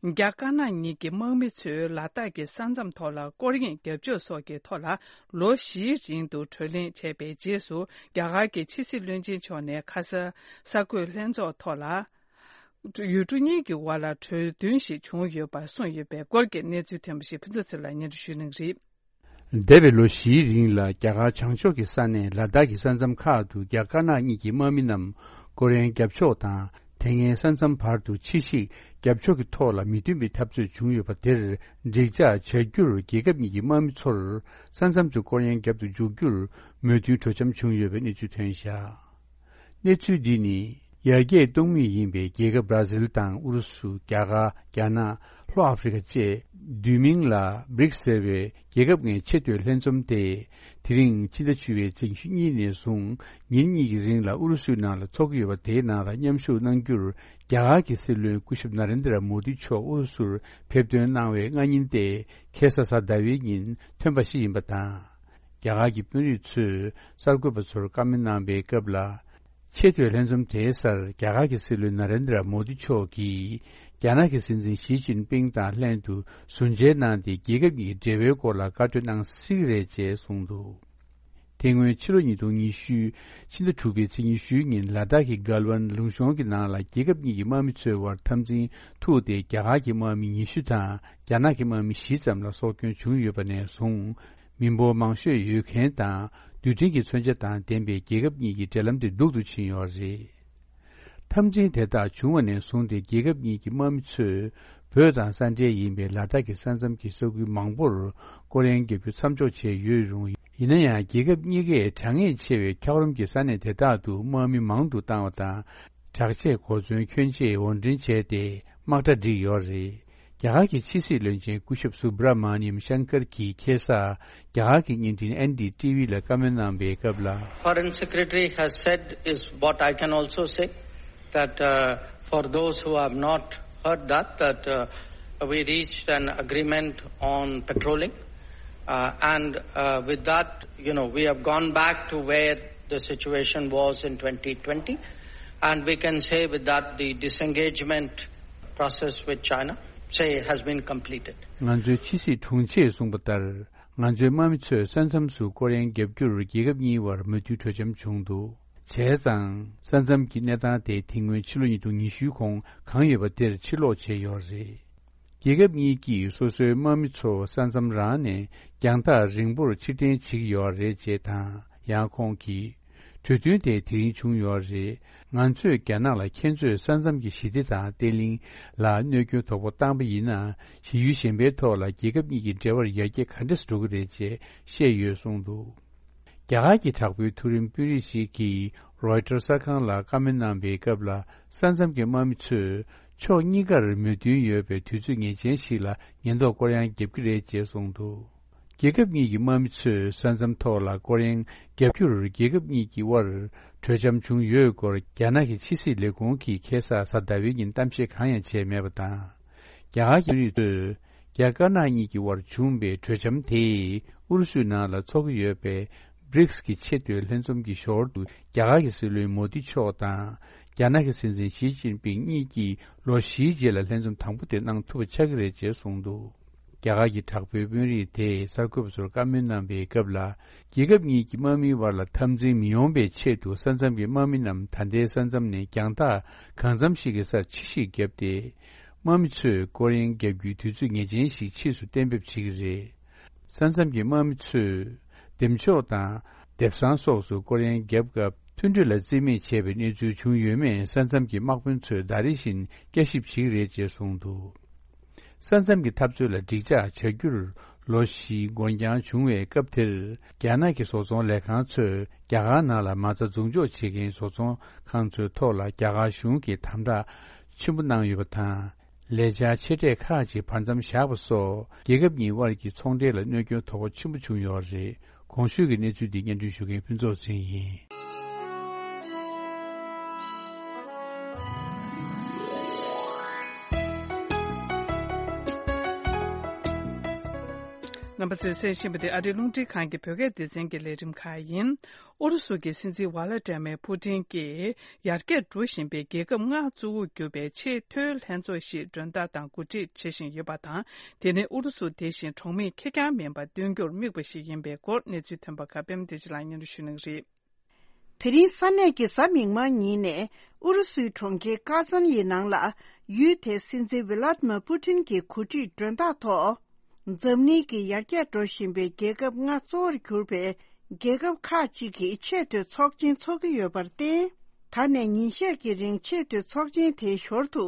རྒྱ་དཀར་ནག་གཉིས་ཀྱི་དམག་མི་ཚོས་ལ་དྭགས་ཀྱི་ས་མཚམས་ཐོག་ལ་སྐོར་གཡེང་རྒྱབ་སྐྱོར་སོགས་ཀྱི་ཐོག་ལ་ལོ་བཞིའི་རིང་དུ་བགྲོ་གླེང་བྱས་པའི་རྗེས་སུ། རྒྱ་གར་གྱི་ཕྱི་སྲིད་བློན་ཆེན་མཆོག་ནས་ཁ་ས་གསར་འགོད་ལྷན་ཚོགས་ཐོག་ལ། ཡུལ་གྲུ་གཉིས་ཀྱི་དབར་ལ་གྲོས་མཐུན་ཞིག་བྱུང་ཡོད་པ་གསུངས་ཡོད་པའི་སྐོར་གྱི་གནས་ཚུལ་ཐོན་པ་ཞིག་ཕུན་ཚོགས་ཚེ་ལགས་སྙན་སྒྲོན་ཞུ་གནང་གི་རེད། འདས་པའི་ལོ་བཞིའི་རིང་ལ་རྒྱ་གར་བྱང་ཕྱོགས་ཀྱི་ས་གནས་ལ་དྭགས་ཀྱི་ས་མཚམས་ཁག་ཏུ་རྒྱ་དཀར་ནག་གཉིས་ཀྱི་དམག་མི་རྣམས་སྐོར་གཡེང་རྒྱབ་ཕྱོགས་དང་། དེ་སྔའི་ས་མཚམས་བར་དུ་ཕྱིར་བཤིག་རྒྱབ་ཕྱོགས་ཀྱི་ཐོག་ལ་མི་མཐུན་པའི་འཐབ་རྩོད་བྱུང་ཡོད་པ་དེར་འགྲིག་འཇགས་བྱ་རྒྱུར། རྒྱལ་ཁབ་གཉིས་ཀྱི་དམག་མི་ཚོར་ས་མཚམས་སུ་སྐོར་གཡེང་རྒྱབ་ཏུ་འཇུག་རྒྱུར་མོས་མཐུན་གྲོས་འཆམ་བྱུང་ཡོད་པའི་གནས་ཚུལ་ཐོན་བཞག་གནས་ཚུལ་འདི་ནི། ཡར་རྒྱས་གཏོང་མུས་ཡིན་པའི་རྒྱལ་ཁབ་བར་ཛིལ་དང་ཨུ་རུ་སུ། རྒྱ་གར། རྒྱ་ནག། ལྷོ་ཨ་ཧྥེ་རི་ཁ་བཅས། བསྡུས་མིང་ལ་བྷི་རིག་སི་ཟེར་བའི་རྒྱལ་ཁབ་ལྔའི་ཆེས་མཐོའི་ལྷན་འཛོམས་དེ། དེ་རིང་ཕྱི་ཟླ་བཅུ་པའི་ཚེས་ཉེར་གཉིས་ནས་བཟུང་ཉིན་གཉིས་ཀྱི་རིང་ལ་ཨུ་རུ་སུའི་ནང་ལ་འཚོགས་ཀྱི་ཡོད་པ། དེའི་ནང་ལ་མཉམ་ཞུགས་གནང་རྒྱུར། རྒྱ་གར་གྱི་སྲིད་བློན་སྐུ་ཞབས་ན་རེན་དྲ་མོ་དི་མཆོག་ཨུ་རུ་སུར་ཕེབས་ཐོན་གནང་བའི་སྔ་ཉིན་ཏེ། ཁ་སང་གཟའ་ཟླ་བའི་ཉིན་ཐོན་པ་ཞིག་ཡིན་པ་དང་། རྒྱ་གར་གྱི་དཔོན་རིགས་ཚོས་གསར་འགོད་པ་ཚོར་བཀའ་མོལ་གནང་པའི་སྐབས་ལ། ཆེས་མཐོའི་ལྷན་འཛོམས་དེའི་སར་རྒྱ་གར་གྱི་སྲིད་བློན་ན་རེན་དྲ་མོ་དི་མཆོག་གིས། རྒྱ་ནག་གི་སྲིད་འཛིན་ཞི་ཅིན་ཕིང་དང་ལྷན་དུ་ཟུར་མཇལ་གནང་སྟེ། རྒྱལ་ཁབ་གཉིས་ཀྱི་འབྲེལ་བའི་སྐོར་ལ་བཀའ་གྲོས་གནང་སྲིད་ཀྱི་རེད་ཅེས་གསུངས་འདུག་དེ་སྔོན་ཕྱི་ལོ་ཉིས་སྟོང་ཉི་ཤུ། ཕྱི་ཟླ་དྲུག་པའི་ཚེས་ཉི་ཤུའི་ཉིན་ལ་དྭགས་ཀྱི་གལ་ཝན་ལུང་གཤོང་གི་ནང་ལ་རྒྱལ་ཁབ་གཉིས་ཀྱི་དམག་མི་ཚོའི་དབར་འཐབ་འཛིང་ཐུག་སྟེ། རྒྱ་གར་གྱི་དམག་མི་ཉི་ཤུ་དང་རྒྱ་ནག་གི་དམག་མི་བཞི་ཙམ་ལ་སྲོག་སྐྱོན་བྱུང་ཡོད་པ་ནས་བཟུང་། མི་འབོར་མང་ཤོས་ཡོད་མཁན་དང་རྡུལ་ཕྲན་གྱི་མཚོན་ཆ་དང་ལྡན་པའི་རྒྱལ་ཁབ་གཉིས་ཀྱི་འབྲེལ་ལམ་དེ་སྡུག་ཏུ་ཕྱིན་ཡོད་རེད། འཐབ་འཛིང་དེ་དག་བྱུང་བ་ནས་བཟུང་སྟེ། རྒྱལ་ཁབ་གཉིས་ཀྱི་དམག་མི་ཚོས་བོད་དང་ས་འབྲེལ་ཡིན་པའི་ལ་དྭགས་ཀྱི་ས་མཚམས་ཀྱི་ས་ཁུལ་མང་པོར་སྐོར་གཡེང་བརྒྱབ་རྒྱུ་མཚམས་འཇོག་བྱས་ཡོད་རུང་། ཡིན་ན་ཡང་། རྒྱལ་ཁབ་གཉིས་ཀས་གྲགས་ངེས་ཆེ་བའི་འཁྱགས་རོམ་གྱི་ས་གནས་དེ་དག་ཏུ་དམག་མི་མང་དུ་བཏང་བ་དང་། དྲག་ཆས་གོ་མཚོན་གྱོན་ཆེད་དབོར་འདྲེན་བྱས་ཏེ། དམག་གྲ་བསྒྲིགས་ཡོད་རེད། རྒྱ་གར་གྱི་ཕྱི་སྲིད་བློན་ཆེན་སྐུ་ཞབས་སུ་བྷ་ར་མ་ནི་ཡམ་ཤང་ཀར་གྱིས་ཁ་སང་རྒྱ་གར་གྱི་བརྙན་འཕྲིན་ཨེན་ཌི་ཊི་ཝི་ལ་བཀའ་མོལ་གནང་པའི་སྐབས་ལ། Foreign Secretary has said is what I can also say, that, uh, for those who have not heard that, that, uh, we reached an agreement on patrolling, uh, and, uh, with that, you know, we have gone back to where the situation was in twenty twenty, and we can say with that the disengagement process with China, say, has been completed. ང་ཚོའི་ཕྱི་སྲིད་དྲུང་ཆེས་གསུངས་པ་ལྟར། ང་ཚོའི་དམག་མི་ཚོས་ས་མཚམས་སུ་སྐོར་གཡེང་བརྒྱབ་རྒྱུར་རྒྱལ་ཁབ་གཉིས་བར་མོས་མཐུན་གྲོས་འཆམ་བྱུང་འདུག་བྱས་ཙང་། ས་མཚམས་ཀྱི་གནས་སྟངས་དེ་དེ་སྔོན་ཕྱི་ལོ་ཉིས་སྟོང་ཉི་ཤུའི་གོང་གང་ཡོད་པ་དེར་ཕྱིར་ལོག་བྱས་ཡོད་རེད། རྒྱལ་ཁབ་གཉིས་ཀྱིས་སོ་སོའི་དམག་མི་ཚོ་ས་མཚམས་རང་ནས་རྒྱང་ཐག་རིང་པོར་ཕྱིར་འཐེན་བྱེད་ཀྱི་ཡོད་རེད་ཅེས་དང་། ཡང་ཁོང་གིས། གྲོས་མཐུན་དེ་དེ་རིང་བྱུང་ཡོད་རེད། ང་ཚོས་རྒྱ་ནག་ལ་ཁྱེད་ཚོས་ས་མཚམས་ཀྱི་ཞི་བདེ་དང་བརྟན་ལྷིང་ལ་གནོད་སྐྱོན་དོག་པོ་བཏང་པ་ཡིན་ན། གཞི་ཡུལ་གཞན་པའི་ཐོག་ལ་རྒྱལ་ཁབ་གཉིས་ཀྱི་འབྲེལ་བར་ཡར་རྒྱས་ག་འདྲས་འགྲོ་གི་རེད་ཅེས་བཤད་ཡོད་གསུངས་འདུག་རྒྱ་གར་གྱི་དྲག་པོའི་མཐོ་རིམ་དཔོན་རིགས་ཤིག་གིས་རོའི་ཊར་གསར་ཁང་ལ་བཀའ་མོལ་གནང་པའི་སྐབས་ལ། ས་མཚམས་ཀྱི་དམག་མི་ཚོས་ཕྱོགས་གཉིས་ཀར་མོས་མཐུན་ཡོད་པའི་དུས་ཚོད་ངེས་ཅན་ཞིག་ལ་ཉེན་རྟོག་སྐོར་གཡེང་བརྒྱབ་ཀྱི་རེད་ཅེས་གསུངས་འདུག་རྒྱལ་ཁབ་གཉིས་ཀྱི་དམག་མི་ཚོས་ས་མཚམས་ཐོག་ལ་སྐོར་གཡེང་བརྒྱབ་རྒྱུར་རྒྱལ་ཁབ་གཉིས་ཀྱི་དབར་གྲོས་འཆམ་བྱུང་ཡོད་སྐོར། རྒྱ་ནག་གི་ཕྱི་སྲིད་ལས་ཁུངས་ཀྱིས་ཁ་སང་གཟའ་ཟླ་བའི་ཉིན་གཏམ་བཤད་གང་ཡང་བྱས་མེད་པ་དང་། རྒྱ་གར་གྱི་དཔོན་རིགས་ཚོས་རྒྱ་དཀར་ནག་གཉིས་ཀྱི་དབར་བྱུང་པའི་གྲོས་འཆམ་དེས་ཨུ་རུ་སུའི་ནང་ལ་འཚོགས་ཀྱི་ཡོད་པའི་བྷི་རིགས་ཀྱི་ཆེས་མཐོའི་ལྷན་འཛོམས་ཀྱི་ཞོར་དུ། རྒྱ་གར་གྱི་སྲིད་བློན་མོ་དི་མཆོག་དང་། རྒྱ་ནག་གི་སྲིད་འཛིན་ཞི་ཅིན་ཕིང་གཉིས་ཀྱིས་ལོ་བཞིའི་རྗེས་ལ་ལྷན་འཛོམས་དང་པོ་དེ་གནང་ཐུབ་པ་ཆགས་ཀྱི་རེད་ཅེས་གསུངས་འདུག་རྒྱ་གར་གྱི་དྲག་པོའི་དཔོན་རིགས་དེས་གསར་འགོད་པ་ཚོར་བཀའ་མོལ་གནང་པའི་སྐབས་ལ། རྒྱལ་ཁབ་གཉིས་ཀྱི་དམག་མིའི་བར་ལ་འཐབ་འཛིང་མི་ཡོང་བའི་ཆེད་དུ། ས་མཚམས་ཀྱི་དམག་མི་རྣམས་ད་ལྟའི་ས་མཚམས་ནས་རྒྱང་ཐག་གང་འཚམ་ཞིག་གི་སར་ཕྱིར་བཤིག་བརྒྱབ་སྟེ། དམག་མི་ཚོས་སྐོར་གཡེང་བརྒྱབ་རྒྱུའི་དུས་ཚོད་ངེས་ཅན་ཞིག་ཕྱིས་སུ་གཏན་འབེབས་བྱེད་ཀྱི་རེད། ས་མཚམས་ཀྱི་དམག་མི་ཚོས་འདེམས་ཤོག་དང་། དེབ་བཟང་སོགས་སུ་སྐོར་གཡེང་བརྒྱབ་སྐབས། མཐུན་གྲོས་ལ་རྩིས་མེད་བྱས་པའི་གནས་ཚུལ་བྱུང་ཡོད་མེད། ས་མཚམས་ཀྱི་དམག་དཔོན་ཚོས་ཟླ་རེ་བཞིན་བསྐྱར་ཞིབ་བྱེད་ཀྱི་རེད་ཅེས་གསུངས་འདུག་ས་མཚམས་ཀྱི་འཐབ་རྩོད་ལ་འགྲིག་འཇགས་བྱ་རྒྱུར་ལོ་བཞིའི་འགོར་འགྱངས་བྱུང་བའི་སྐབས་དེར། རྒྱ་ནག་གི་བཟོ་ཚོང་ལས་ཁང་ཚོས་རྒྱ་གར་ནང་ལ་མ་རྩ་འཛུགས་འཇོག་བྱེད་མཁན་བཟོ་ཚོང་ཁང་ཚོའི་ཐོག་ལ་རྒྱ་གར་གཞུང་གིitམ་དྲག་ཆེན་པོ་གནང་ཡོད་པ་དང་། ལས་འཆར་ཆེ་གྲས་ཁག་ཅིག་བར་མཚམས་བཞག་པ་སོགས། རྒྱལ་ཁབ་གཉིས་དབར་གྱི་ཚོང་འབྲེལ་ལ་གནོད་སྐྱོན་དོ་ཕོག་ཆེན་པོ་བྱུང་ཡོད་རེད། གོང་ཞུས་ཀྱི་གནས་ཚུལ་འདི་སྙན་སྒྲོན་ཞུ་མཁན་ཕུན་ཚོགས་ཚེ་རིང་ཡིན། རྣམ་པ་ཚོས་གསན་བཞིན་པ་དེ་ཨ་རིའི་རླུང་འཕྲིན་ཁང་གི་བོད་སྐད་སྡེ་ཚན་གྱི་ལས་རིམ་ཁག་ཡིན། ཨུ་རུ་སུ་གི་སྲིད་འཛིན་ཝ་ལ་ཏྲེ་མེ་ཕུ་ཏིན་གྱིས་ཡར་རྒྱས་འགྲོ་བཞིན་པའི་རྒྱལ་ཁབ་ལྔ་གཙོ་བོར་གྱུར་པའི་ཆེས་མཐོའི་ལྷན་ཚོགས་ཤིག་མགྲོན་བདག་དང་གོ་སྒྲིག་བྱེད་བཞིན་ཡོད་པ་དང་། དེ་ནི་ཨུ་རུ་སུ་དེ་བཞིན་གྲོགས་མེད་ཁེར་རྐྱང་མིན་པ་སྟོན་རྒྱུར་དམིགས་པ་ཞིག་ཡིན་པའི་སྐོར་གནས་ཚུལ་ཐོན་པ་ཁག་པད་མ་བདེ་ཆེན་ལགས་སྙན་སྒྲོན་ཞུ་གནང་གི་རེད། དེ་རིང་ས་གནས་ཀྱི་གཟའ་མིག་དམར་ཉིན་ནས་ཨུ་རུ་སུའི་གྲོང་ཁྱེར་ཀ་ཛན་ཡི་ནང་ལ་ཡུལ་དེའི་སྲིད་འཛིན་ཝི་ལ་ཏི་མིར་པུ་ཏིན་གྱི་གོ་སྒྲིག་མགྲོན་བདག་ཐོག་འཛམ་གླིང་གི་ཡར་རྒྱས་འགྲོ་བཞིན་པའི་རྒྱལ་ཁབ་ལྔ་གཙོ་བོར་གྱུར་པའི་རྒྱལ་ཁབ་ཁག་ཅིག་གིས་ཆེས་མཐོའི་ཚོགས་ཆེན་འཚོགས་ཀྱི་ཡོད་པར་བརྟེན། ད་ནས་ཉིན་ཤས་ཀྱི་རིང་ཆེས་མཐོའི་ཚོགས་ཆེན་དེའི་ཞོར་དུ་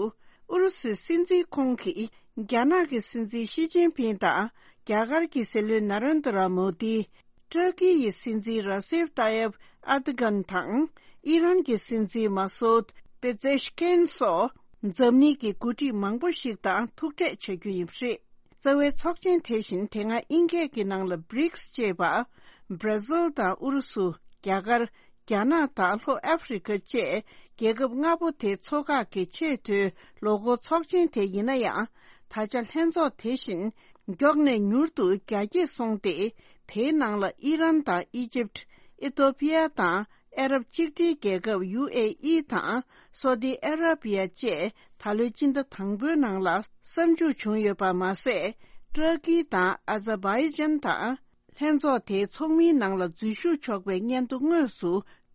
ཨུ་རུ་སུའི་སྲིད་འཛིན་ཁོང་གིས་རྒྱ་ནག་གི་སྲིད་འཛིན་ཞི་ཅིན་ཕིང་དང་རྒྱ་གར་གྱི་སྲིད་བློན་ན་རེན་དྲ་མོ་དི། ཏུར་ཀི་ཡི་སྲིད་འཛིན་ར་སེབ་ཏཱ་ཡེབ་ཨར་དོ་གྷན་དང་། ཨི་རན་གྱི་སྲིད་འཛིན་མ་སོད་པེ་ཛེ་ཤ་ཀན་སོགས་འཛམ་གླིང་གི་འགོ་ཁྲིད་མང་པོ་ཞིག་དང་ཐུག་འཕྲད་བྱ་རྒྱུ་ཡིན་པ་རེད། རྩ་བའི་ཚོགས་ཆེན་དེ་བཞིན་དེ་སྔ་དབྱིན་སྐད་ཀྱི་ནང་ལ་བྷི་རིག་སི་ཅེས་པ། བྷར་ཛིལ་དང་ཨུ་རུ་སུ། རྒྱ་གར། རྒྱ་ནག་དང་ལྷོ་ཨ་ཧྥེ་རི་ཁ་བཅས་རྒྱལ་ཁབ་ལྔ་པོ་དེ་ཚོ་ཁག་གི་ཆེས་མཐོའི་ལོ་འཁོར་ཚོགས་ཆེན་དེ་ཡིན་ན་ཡང་། ད་ཆ་ལྷན་ཚོགས་དེ་བཞིན་མགྱོགས་ནས་མྱུར་དུ་རྒྱ་སྐྱེད་སོང་སྟེ། དེའི་ནང་ལ་ཨི་རན་དང་ཨི་ཇིབ། ཨི་ཐོ་པི་ཡ་དང་ཨ་རབ་གཅིག་སྒྲིལ་རྒྱལ་ཁབ་ཡུ་ཨེ་ཨི་དང་སོ་ཏི་ཨ་ར་པི་ཡ་བཅས་ད་ལོའི་སྤྱི་ཟླ་དང་པོའི་ནང་ལ་གསར་འཇུག་བྱུང་ཡོད་པ་མ་ཟད། ཏུར་ཀི་དང་ཨ་ཛར་བྷའི་ཇན་དང་། ལྷན་ཚོགས་དེའི་ཚོགས་མིའི་ནང་ལ་འཛུལ་ཞུགས་ཆོག་པའི་སྙན་ཐོ་དངོས་སུ་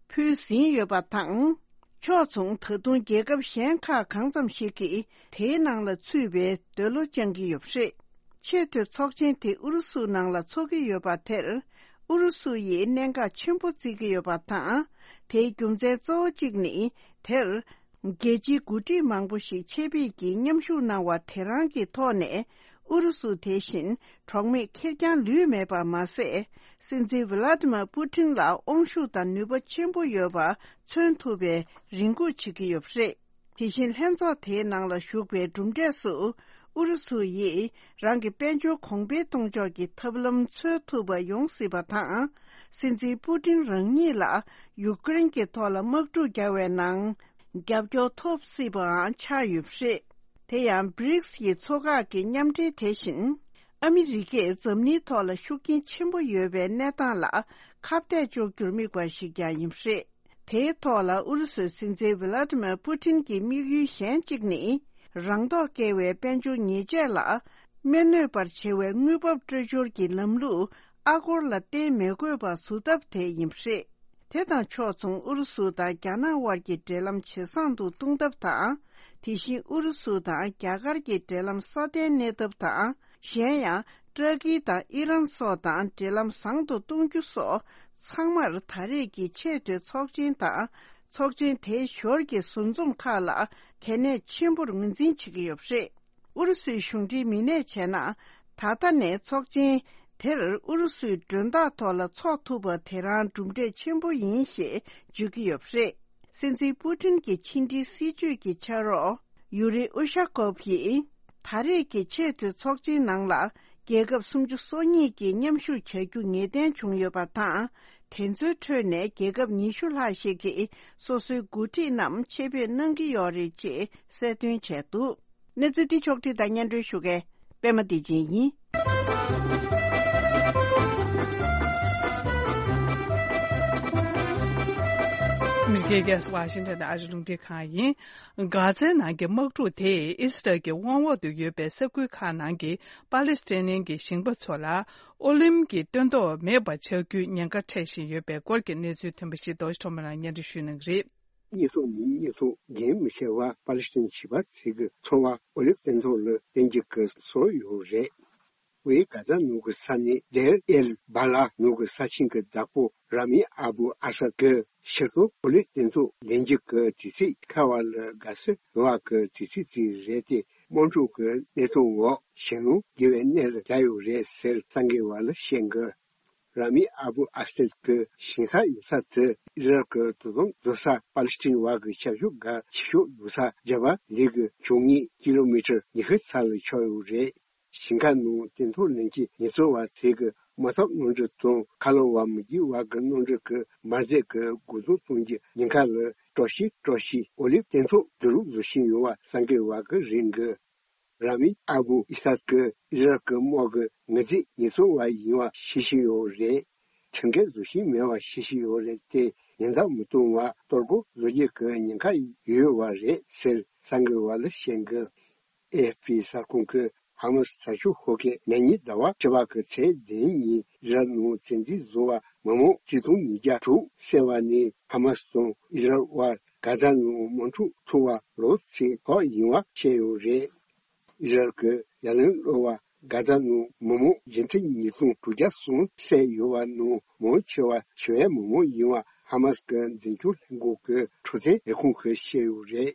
ཕུལ་ཟིན་ཡོད་པ་དང་། ཕྱོགས་མཚུངས་ད་དུང་རྒྱལ་ཁབ་གཞན་ཁག་གང་ཙམ་ཞིག་གིས་དེའི་ནང་ལ་ཚུད་པའི་འདོད་བློ་བཅངས་ཀྱི་ཡོད་པ་རེད། ཆེས་མཐོའི་ཚོགས་ཆེན་དེ་ཨུ་རུ་སུ་ནང་ལ་འཚོགས་ཀྱི་ཡོད་པ་དེར་ཨུ་རུ་སུ་ཡིས་གནད་འགག་ཆེན་པོ་བརྩི་གི་ཡོད་པ་དང་། དེའི་རྒྱུ་མཚན་གཙོ་བོ་གཅིག་ནི་དེར། རྒྱལ་སྤྱིའི་འགོ་ཁྲིད་མང་པོ་ཞིག་ཆེད་ཕེབས་ཀྱིས་མཉམ་ཞུགས་གནང་བ་དེ་རང་གི་ཐོག་ནས། ཨུ་རུ་སུ་དེ་བཞིན་གྲོགས་མེད་ཁེར་རྐྱང་ལུས་མེད་པ་མ་ཟད། སྲིད་འཛིན་ཝི་ལ་ཏི་མར་པུ་ཏིན་ལ་དབང་ཤུགས་དང་ནུས་པ་ཆེན་པོ་ཡོད་པ་མཚོན་ཐུབ་པའི་རེ་སྒུག་བྱེད་ཀྱི་ཡོད་པ་རེད། དེ་བཞིན་ལྷན་ཚོགས་དེའི་ནང་ལ་ཞུགས་པའི་གྲུབ་འབྲས་སུ། ཨུ་རུ་སུ་ཡིས་རང་གི་དཔལ་འབྱོར་གོང་འཕེལ་གཏོང་ཕྱོགས་ཀྱི་ཐབས་ལམ་འཚོལ་ཐུབ་པ་ཡོང་སྲིད་པ་དང་། སྲིད་འཛིན་པུ་ཏིན་རང་ཉིད་ལ་ཡུཀ་རེན་གྱི་ཐོག་ལ་དམག་འཁྲུག་བརྒྱབ་པའི་ནང་། རྒྱབ་སྐྱོར་ཐོབ་སྲིད་པའང་ཆགས་ཡོད་པ་རེད། དེ་ཡང་བྷི་རིག་སི་ཡི་ཚོ་ཁག་གི་མཉམ་འབྲེལ་དེ་བཞིན། ཨ་མི་རི་ཀས་འཛམ་གླིང་ཐོག་ལ་ཤུགས་རྐྱེན་ཆེན་པོ་ཡོད་པའི་གནས་སྟངས་ལ་ཁ་གཏད་གཅོག་རྒྱུར་དམིགས་པ་ཞིག་ཀྱང་ཡིན་པ་རེད། དེའི་ཐོག་ལ་ཨུ་རུ་སུའི་སྲིད་འཛིན་ཝི་ལ་ཏི་མེར་པུ་ཏིན་གྱི་དམིགས་ཡུལ་གཞན་གཅིག་ནི། རང་ཐོག་བཀལ་བའི་དཔལ་འབྱོར་ཉེས་ཆད་ལ། སྨན་གནོད་པར་བྱེད་པའི་དངུལ་འབབ་སྤྲོད་སྦྱོར་གྱི་ལམ་ལུགས་ཨ་སྒོར་ལ་བརྟེན་མི་དགོས་པ་བཟོ་ཐབས་དེ་ཡིན་པ་རེད། དེ་དང་ཕྱོགས་མཚུངས་ཨུ་རུ་སུ་དང་རྒྱ་ནག་དབར་གྱི་འབྲེལ་ལམ་ཇེ་བཟང་དུ་གཏོང་ཐབས་དང་། དེ་བཞིན་ཨུ་རུ་སུ་དང་རྒྱ་གར་གྱི་འབྲེལ་ལམ་སྲ་བརྟན་གནས་ཐབས་དང་། གཞན་ཡང་ཏུར་ཀི་དང་ཨི་རན་སོགས་དང་འབྲེལ་ལམ་བཟང་དུ་གཏོང་རྒྱུ་སོགས་ཚང་མར་ད་རེས་ཀྱི་ཆེས་མཐོའི་ཚོགས་ཆེན་དང་ཚོགས་ཆེན་དེའི་ཞོར་གྱི་ཟུར་འཛོམས་ཁག་ལ་གལ་གནད་ཆེན་པོར་ངོས་འཛིན་བྱེད་ཀྱི་ཡོད་པ་རེད། ཨུ་རུ་སུའི་གཞུང་འབྲེལ་མི་སྣས་བྱས་ན། ད་ལྟ་ནས་ཚོགས་ཆེན་དེར་ཨུ་རུ་སུའི་མགྲོན་བདག་ཐོག་ལ་འཚོགས་ཐུབ་པ་དེ་རང་གྲུབ་འབྲས་ཆེན་པོ་ཡིན་ཞེས་བརྗོད་ཀྱི་ཡོད་པ་རེད། སྲིད་འཛིན་པུ་ཏིན་གྱི་ཕྱི་འབྲེལ་སྲིད་ཇུས་ཀྱི་ཕྱག་རོགས་ཡུ་རི་ཨུ་ཤ་ཀོབ་ཡིས། ད་རེས་ཀྱི་ཆེས་མཐོའི་ཚོགས་ཆེན་ནང་ལ་རྒྱལ་ཁབ་སུམ་ཅུ་སོ་གཉིས་ཀྱིས་མཉམ་ཞུགས་བྱ་རྒྱུ་ངེས་གཏན་བྱུང་ཡོད་པ་དང་། དེ་ཚོའི་ཁྲོད་ནས་རྒྱལ་ཁབ་ཉི་ཤུ་ལྷག་ཞིག་གིས་སོ་སོའི་འགོ་ཁྲིད་རྣམས་ཆེད་ཕེབས་གནང་གི་ཡོད་རེད་ཅེས་གསལ་སྟོན་བྱས་འདུག་གནས་ཚུལ་འདི་ཕྱོགས་བསྒྲིགས་དང་སྙན་སྒྲོན་ཞུ་མཁན་པད་མ་བདེ་ཆེན་ཡིན། ཨ་མི་རི་ཀའི་རྒྱལ་ས་ཝ་ཤིང་ཏོན་ནས་ཨ་རིའི་རླུང་འཕྲིན་ཁང་ཡིན། གྷ་ཛའི་ནང་གི་དམག་འཁྲུག་དེས་ཨི་སི་རལ་གྱི་དབང་འོག་ཏུ་ཡོད་པའི་ས་ཁུལ་ཁག་ནང་གི་པ་ལི་སི་ཐན་གྱི་ཞིང་པ་ཚོ་ལ་ཨོ་ལིམ་གྱི་སྟོན་ཐོག་མེད་པ་ཆགས་རྒྱུའི་ཉེན་ཁ་འཕྲད་བཞིན་ཡོད་པའི་སྐོར་གྱི་གནས་ཚུལ་ཐོན་པ་ཞིག་རྡོ་རྗེ་ཐོགས་མེད་ལགས་སྙན་སྒྲོན་ཞུ་གནང་གི་རེད། ཉེས་གསོག་ཉིན་ཉེས་གསོག་རྒན་མི་ཆེ་བ་པ་ལི་སི་ཐན་བྱིས་པ་ཚོ་གི་འཚོ་བ་ཨོ་ལིབ་སྟོན་ཐོག་ལ་བརྟེན་གྱི་སྐབས་སུ་ཡོད་རེད། ཝེ་གྷ་ཛ་ནུབ་ཀྱི་ས་གནས་དེར་ཨེལ་བ་ལ་ནུབ་ཀྱི་ས་ཆེན་གྱི་བདག་པོ་ར་མི་ཨ་བུ་ཨ་སད་ཀྱི་ཤི་སོ་ཨོ་ལིབ་སྟོན་ཐོག་ལེན་གྱི་སྐབས་དུས་ཚིགས་ཁ་བ་ལ་དགའ་བསུ་ཡོད་པ་གི་དུས་ཚིགས་ཅིག་རེད་དེ། དམག་འཁྲུག་གི་གནས་སྟངས་འོག་ཞིང་ལུང་རྒྱས་པའི་གནས་ལ་བསྡད་ཡོད་རེད་ཟེར། གསར་འགོད་པ་ལ་བཤད་འགོ། ར་མི་ཨ་བུ་ཨ་སེད་ཀྱི་ཞིང་ས་ཡོད་ས་དེ་ཨི་ཟ་རལ་གྱི་དོ་དམ་བཟོ་ས་པ་ལི་སི་ཐན་བར་གྱི་ཁྱད་ཆོས་གལ་ཆེ་ཤོས་ཡོད་ས་རྒྱབ་པ་ལི་གི་བྱང་ཉེ་ཀི་ལོ་མི་ཊར་ཉི་ཤུ་ཙམ་ལ་ཆགས་ཡོད་རེད། ཞིང་ཁ་ནང་སྟོན་ཐོག་ལེན་གྱི་ཉེན་ཚོར་བ་ཚོས་ཀྱི་དམག་འཐབ་གནམ་གྲུ་དང་མཁའ་སློང་བ་མི་སྒེར་བར་གྱི་གནམ་གྲུ་གི་འབར་རྫས་ཀྱི་འགོག་སྲུང་གཏོང་རྒྱུའི་ཉེན་ཁ་ལ་སྤྲོ་ཤིང་སྤྲོ་ཤིང་ཨོ་ལིབ་སྟོན་ཐོག་བསྡུ་རུབ་བཟོ་བཞིན་ཡོད་པ་གསར་འགོད་པ་གིས་རེ་འགོ། ར་མི་ཨ་བུ་ཨི་སཱག་གིས་ཨི་ཟ་རལ་གྱི་དམག་གི་ངོས་འཛིན་ཉེན་སྲུང་བ་ཡིན་པ་ཤེས་ཀྱི་ཡོད་རེད། ཁྲིམས་འགལ་བཟོ་བཞིན་མེད་པ་ཤེས་ཀྱི་ཡོད་རེད་དེ། ཉེན་བརྡ་མི་གཏོང་བར་གཏོར་རྒོལ་བཟོ་རྒྱུ་གི་ཉེན་ཁ་ཡོད་པ་རེད་ཟེར་གསར་འགོད་པ་ལ་བཤད་འདུག་ཨེ་ཨེཕ་པི་གསར་ཁང་གིས་ཧ་མ་སི་དྲག་སྤྱོད་ཤོག་ཁག་གིས་ཉེ་ཉིན་ཟླ་བ་བཅུ་པ་གི་ཚེས་བདུན་ཉིན་ཨི་ཟ་རལ་ནང་བཙན་འཛུལ་བཟོ་བ་མི་མང་ཆིག་སྟོང་ཉིས་བརྒྱ་དྲུག་བསད་པ་ནས་ཧ་མ་སི་དང་ཨི་ཟ་རལ་དབར་གྷ་ཛ་ནང་དམག་འཁྲུག་འཚོགས་པ་ལོ་གཅིག་ཐོག་ཡིན་པ་བཤད་ཡོད་རེད། ཨི་ཟ་རལ་གྱི་ཡ་ལན་སློག་པར་གྷ་ཛ་ནང་མི་མང་བརྒྱད་ཁྲི་ཉིས་སྟོང་དྲུག་བརྒྱ་གསུམ་བསད་ཡོད་པ་ནང་མང་ཆེ་བ་ཞི་བའི་མི་མང་ཡིན་པ་ཧ་མ་སི་གི་འཛིན་སྐྱོང་ལྷན་ཁང་གི་འཕྲོད་བསྟེན་ལས་ཁུངས་ཀྱིས་བཤད་ཡོད་རེད།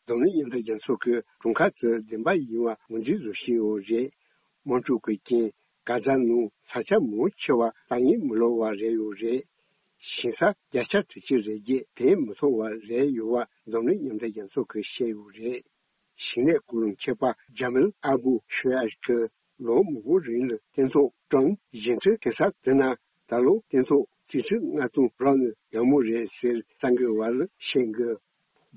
འཛམ་གླིང་མཉམ་འབྲེལ་རྒྱལ་ཚོགས་ཀྱིས་གྲོང་ཁྱེར་དེ་བདེན་པ་ཡིན་པ་ངོས་འཛིན་བཟོ་བཞིན་ཡོད་རེད། དམག་འཁྲུག་གི་རྐྱེན་གྷ་ཛ་ནང་ས་ཆ་མང་ཆེ་བ་ཏག་ངན་མི་ལོག་པ་རེད་ཡོད་རེད། ཞིང་ས་བརྒྱ་ཆ་དྲུག་ཅུ་རེ་བརྒྱད་ཕན་མི་ཐོགས་པ་རེད་ཡོད་པ་འཛམ་གླིང་མཉམ་འབྲེལ་རྒྱལ་ཚོགས་ཀྱིས་བཤད་ཡོད་རེད། ཞིང་ལས་སྐོར་མཁས་པ་ཇ་མིལ་ཨ་བུ་ཤོ་ཡ་གིས་ལོ་མང་པོའི་རིང་ལ་སྟོན་ཐོག་ཀྲང་ཞིང་ཁྲི་གེ་སར་དེ་ན་ད་ལོ་སྟོན་ཐོག་རྩིས་ཁྲི་ལྔ་སྟོང་རག་ན་ཡག་མོ་རེད་ཟེར་གསར་འགོད་པ་ལ་བཤད་འདུག་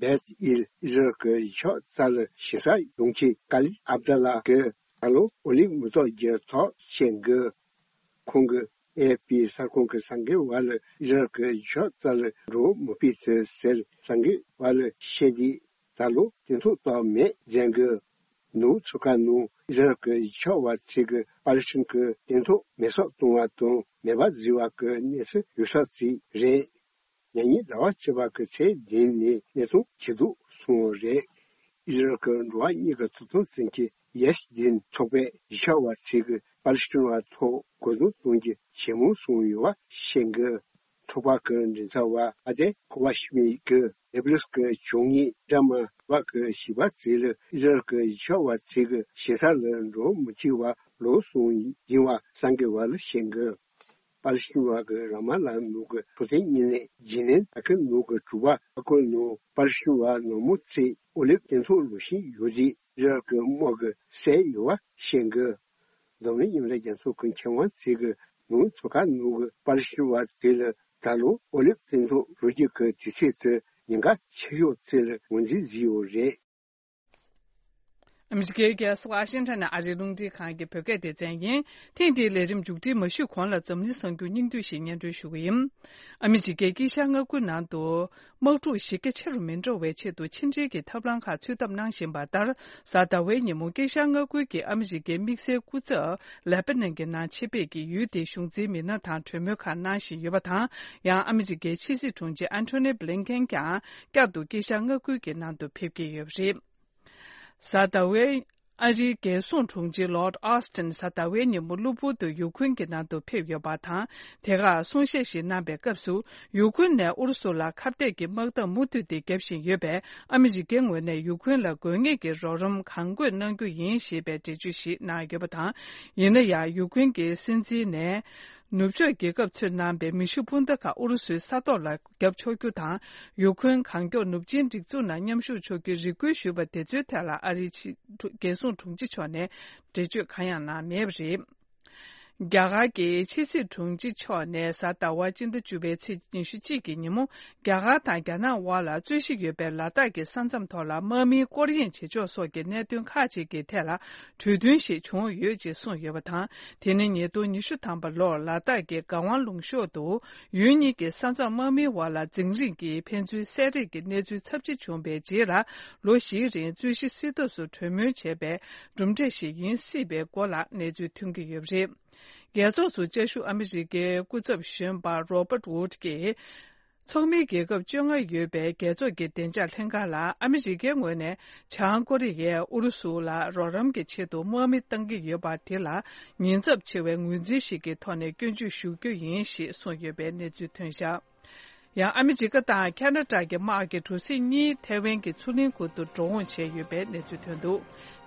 བེད་ཨིལ་ཨི་ཟ་རལ་གྱི་གཞིས་ཆགས་རྩ་ལ་ཞིང་ས་ཡོང་མཁན་ཀ་ལིད་ཨབ་དཱ་ལ་གིས་ད་ལོ་ཨོ་ལིམ་མི་ཐོག་རྒྱུ་ཐོག་བཤད་འདུག་ཁོང་གིས་ཨེ་ཨེཕ་པི་གསར་ཁང་གི་གསར་འགོད་པ་ལ་ཨི་ཟ་རལ་གྱི་གཞིས་ཆགས་རྩ་ལ་འགྲོ་མི་ཕོད་ཟེར་གསར་འགོད་པ་ལ་བཤད་དུས། ད་ལོ་སྟོན་ཐོག་ཏོག་མེད་ཟེར་གི། ནུབ་མཚོ་ཁ་ནང་ཨི་ཟ་རལ་གྱི་གཞིས་ཆགས་པ་ཚོས་ཀྱིས་པ་ལི་སི་ཐན་གྱི་སྟོན་ཐོག་མེ་སྲེག་གཏོང་བ་དང་མེ་འབར་བཟོས་པ་གི་གནས་ཚུལ་ཡོད་ས་ཞིག་རེད། ཉེ་ཉིན་ཟླ་བ་བཅུ་པ་གི་ཚེས་བདུན་ནས་གནས་སྟངས་ཇེ་སྡུག་སོང་བ་རེད། ཨི་ཟ་རལ་གྱི་འགྲོ་བ་མིའི་ཐོབ་ཐང་བཙན་ཁྱབ་ཡེ་ཤུ་དིན་ཚོགས་པས་གཞིས་ཆགས་པ་ཚོས་ཀྱིས་པ་ལི་སི་ཐན་པ་ཐོག་རྒོལ་རྡུང་གཏོང་རྒྱུ་ཇེ་མང་སོང་ཡོད་པ་བཤད་འདུག་ཚོགས་པ་གི་མགྲིན་ཚབ་པ་ཨ་དེ་ཁོ་བ་ཤི་མི་གིས་ནེ་པ་ལི་སི་ཀི་ཇུང་ངི་ཌ་མ་བ་གི་གཞིས་པ་ཚོ་ལ་ཨི་ཟ་རལ་གྱི་གཞིས་ཆགས་པ་ཚོས་ཀྱི་གཞིས་ས་ལ་འགྲོ་མི་བྱེད་པ་ལོ་གསུམ་ཡིན་པ་གསར་འགོད་པ་ལ་བཤད་འདུག་པ་ལི་སི་ཐན་པ་གི་ར་མ་ལ་ནང་གི་འཕྲོད་བསྟེན་བརྙན་ལས་ཇི་ནན་ཨ་ཁི་ནང་གི་གྲུ་པ་ཨ་ཁུ་ནང་པ་ལི་སི་ཐན་པ་ནག་མོ་ཚོས་ཨོ་ལིབ་སྟོན་ཐོག་ལུས་ཤིང་ཡོད་རྗེས་ཨི་ཟ་རལ་གྱི་དམག་གིས་བསད་ཡོད་པ་བཤད་འདུག་འཛམ་གླིང་མཉམ་འབྲེལ་རྒྱལ་ཚོགས་ཀྱི་མཁས་དབང་ཚོས་ཀྱིས་ནུབ་མཚོ་ཁ་ནང་གི་པ་ལི་སི་ཐན་པ་དེ་ལ་ད་ལོ་ཨོ་ལིབ་སྟོན་ཐོག་ལུས་རྒྱུ་གི་དུས་ཚོད་དེ་ཉེན་ཁ་ཆེ་ཤོས་ཚོད་ལ་ངོས་འཛིན་བཟོས་ཡོད་རེད། ཨ་མི་རི་ཀའི་རྒྱལ་ས་ཝ་ཤིང་ཊོན་ནས་ཨ་རིའི་རླུང་འཕྲིན་ཁང་གི་བོད་སྐད་སྡེ་ཚན་ཡིན། ཐེངས་འདིའི་ལས་རིམ་མཇུག་སྒྲིལ་མ་ཞུས་གོང་ལ་འཛམ་གླིང་གསར་འགྱུར་སྙིང་བསྡུས་ཤིག་སྙན་སྒྲོན་ཞུ་གི་ཡིན། ཨ་མི་རི་ཀའི་དཀྱིལ་ཤར་མངའ་ཁུལ་ནང་དུ། དམག་འཁྲུག་གཞི་རྒྱ་ཆེ་རུ་མི་འགྲོ་བའི་ཆེད་དུ་ཕྱི་འབྲེལ་གྱི་ཐབས་ལམ་ཁག་འཚོལ་ཐབས་གནང་བཞིན་པ་ལྟར། གཟའ་ཟླ་བའི་ཉིན་མོ་དཀྱིལ་ཤར་མངའ་ཁུལ་གྱི་ཨ་མི་རི་ཀའི་དམིགས་བསལ་སྐུ་ཚབ་ལེ་པ་ནན་གྱི་ནང་ཆེད་ཕེབས་ཀྱིས་ཡུལ་དེའི་གཞུང་འཛིན་མི་སྣ་དང་གྲོས་མོལ་ཁག་གནང་བཞིན་ཡོད་པ་དང་། ཡང་ཨ་མི་རི་ཀའི་ཕྱི་སྲིད་དྲུང་ཆེ་ཨན་ཐོ་ནི་བྷི་ལིན་ཀེན་ཀྱང་བསྐྱར་དུ་དཀྱིལ་ཤར་མངའ་ཁུལ་གྱི་ནང་དུ་ཕེབས་ཀྱི་ཡོད་པ་རེད། གཟའ་ཟླ་བའི་ཨ་རིའི་རྒྱལ་སྲུང་དྲུང་ཆེ་ལོར་ཨོ་སི་ཊིན་གཟའ་ཟླ་བའི་ཉིན་མོ་གློ་བུར་དུ་ཡུ་ཁུན་གྱི་ནང་དུ་ཕེབས་ཡོད་པ་དང་། དེ་གར་གསུང་བཤད་ཞིག་གནང་པའི་སྐབས་སུ། ཡུ་ཁུན་ནས་ཨུ་རུ་སུ་ལ་ཁ་གཏད་ཀྱི་དམག་འཐབ་མུ་མཐུད་དེ་བརྒྱབ་བཞིན་ཡོད་པས། ཨ་མི་རི་ཀའི་ངོས་ནས་ཡུ་ཁུན་ལ་དགོས་ངེས་ཀྱི་རོགས་རམ་གང་དགོས་གནང་རྒྱུ་ཡིན་ཞེས་པའི་འགྲེལ་བརྗོད་ཞིག་གནང་ཡོད་པ་དང་། ཡིན་ན་ཡང་ཡུ་ཁུན་གྱི་སྲིད་འཛིན་ནས། ནུབ་ཕྱོགས་རྒྱལ་ཁབ་ཚོས་གནང་པའི་མེ་ཤུགས་འཕུར་མདའ་ཁག་ཨུ་རུ་སུའི་ས་ཐོག་ལ་བརྒྱབ་ཆོག་རྒྱུ་དང་། ཡུ་ཁུན་གང་མགྱོགས་ནུབ་ཆིངས་སྒྲིག་འཛུགས་ནང་མཉམ་ཞུགས་ཆོག་རྒྱུའི་རེ་སྐུལ་ཞུས་པ་དེ་ཚོའི་ཐད་ལ་ཨ་རིའི་ཕྱི་རྒྱལ་སྲུང་དྲུང་ཆེ་མཆོག་ནས་འགྲེལ་བརྗོད་གང་ཡང་གནང་མེད་པ་རེད། རྒྱ་གར་གྱི་ཕྱི་སྲིད་དྲུང་ཆེ་མཆོག་ནས་གཟའ་ཟླ་བ་སྤྱི་ཟླ་བཅུ་པའི་ཚེས་ཉི་ཤུ་གཅིག་གི་ཉིན་མོ། རྒྱ་གར་དང་རྒྱ་ནག་དབར་ལ་རྩོད་གཞི་ཡོད་པའི་ལ་དྭགས་ཀྱི་ས་མཚམས་ཐོག་ལ་དམག་མིའི་སྐོར་གཡེང་བྱེད་ཕྱོགས་སོགས་ཀྱི་གནད་དོན་ཁག་ཅིག་གི་ཐད་ལ་གྲོས་མཐུན་ཞིག་བྱུང་ཡོད་ཅེས་གསུངས་ཡོད་པ་དང་། དེ་ནི་ཉིས་སྟོང་ཉི་ཤུ་ཐམ་པ་ལོར་ལ་དྭགས་ཀྱི་ག་ཝང་ལུང་གཤོང་དུ་ཡུལ་གཉིས་ཀྱི་ས་མཚམས་དམག་མིའི་དབར་ལ་འཛིང་རིམ་གྱི་ཕན་ཚུན་བསད་རེས་ཀྱི་གནས་ཚུལ་ཚབས་ཆེ་བྱུང་བའི་རྗེས་ལ། ལོ་བཞིའི་རིང་རྩོད་གཞི་སེལ་ཐབས་སུ་གྲོས་མོལ་བྱས་པའི་གྲུབ་འབྲས་ཤིག་ཡིན་སྲིད་པའི་སྐོར་ལ་གནས་ཚུལ་ཐོན་གྱི་ཡོད་པ་རེད། རྒྱལ་ཚོགས་སུ་བཅའ་བཞུགས་ཨ་མི་རི་ཀའི་སྐུ་ཚབ་གཞོན་པ་རོ་པར་ཝུད་ཀྱིས། ཚོགས་མིའི་རྒྱལ་ཁབ་བཅོ་ལྔ་ཡོད་པའི་རྒྱལ་ཚོགས་ཀྱི་བདེ་འཇགས་ལྷན་ཁང་ལ། ཨ་མི་རི་ཀའི་ངོས་ནས་བྱང་ཀོ་རི་ཡས་ཨུ་རུ་སུ་ལ་རོགས་རམ་གྱི་ཆེད་དུ་དམག་མི་གཏང་གི་ཡོད་པ་དེ་ལ་ཉེན་ཚབས་ཆེ་བའི་ངོས་འཛིན་ཞིག་གི་ཐོག་ནས་སྐྱོན་བརྗོད་ཞུ་རྒྱུ་ཡིན་ཞེས་གསུངས་ཡོད་པའི་གནས་ཚུལ་ཐོན་བཞག་ཡང་ཨ་མི་རི་ཀ་དང་ཁ་ན་ཌ་གི་དམག་གི་གྲུ་གཟིངས་གཉིས་ཐའེ་ཝན་གྱི་མཚོ་གླིང་ཁུལ་དུ་འགྲོ་འོང་བྱས་ཡོད་པའི་གནས་ཚུལ་ཐོན་འདུག་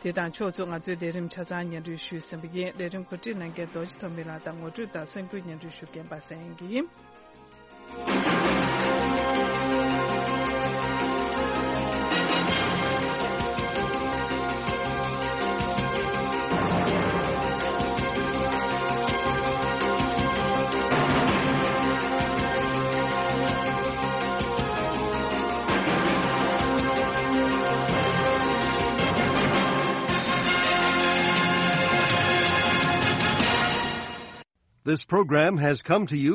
དེ་དང་ཕྱོགས་མཚུངས་ང་ཚོའི་ལས་རིམ་ཆ་ཚང་སྙན་སྒྲོན་ཞུས་ཟིན་པ་ཡིན། ལས་རིམ་གོ་སྒྲིག་གནང་མཁན་རྡོ་རྗེ་ཐོགས་མི་ལགས་དང་ངོ་སྤྲོད་དང་གསར་འགྱུར་སྙན་སྒྲོན་ཞུ་མཁན་པ་སངས་དབྱངས་སྐྱིད་ཡིན། This program has come to you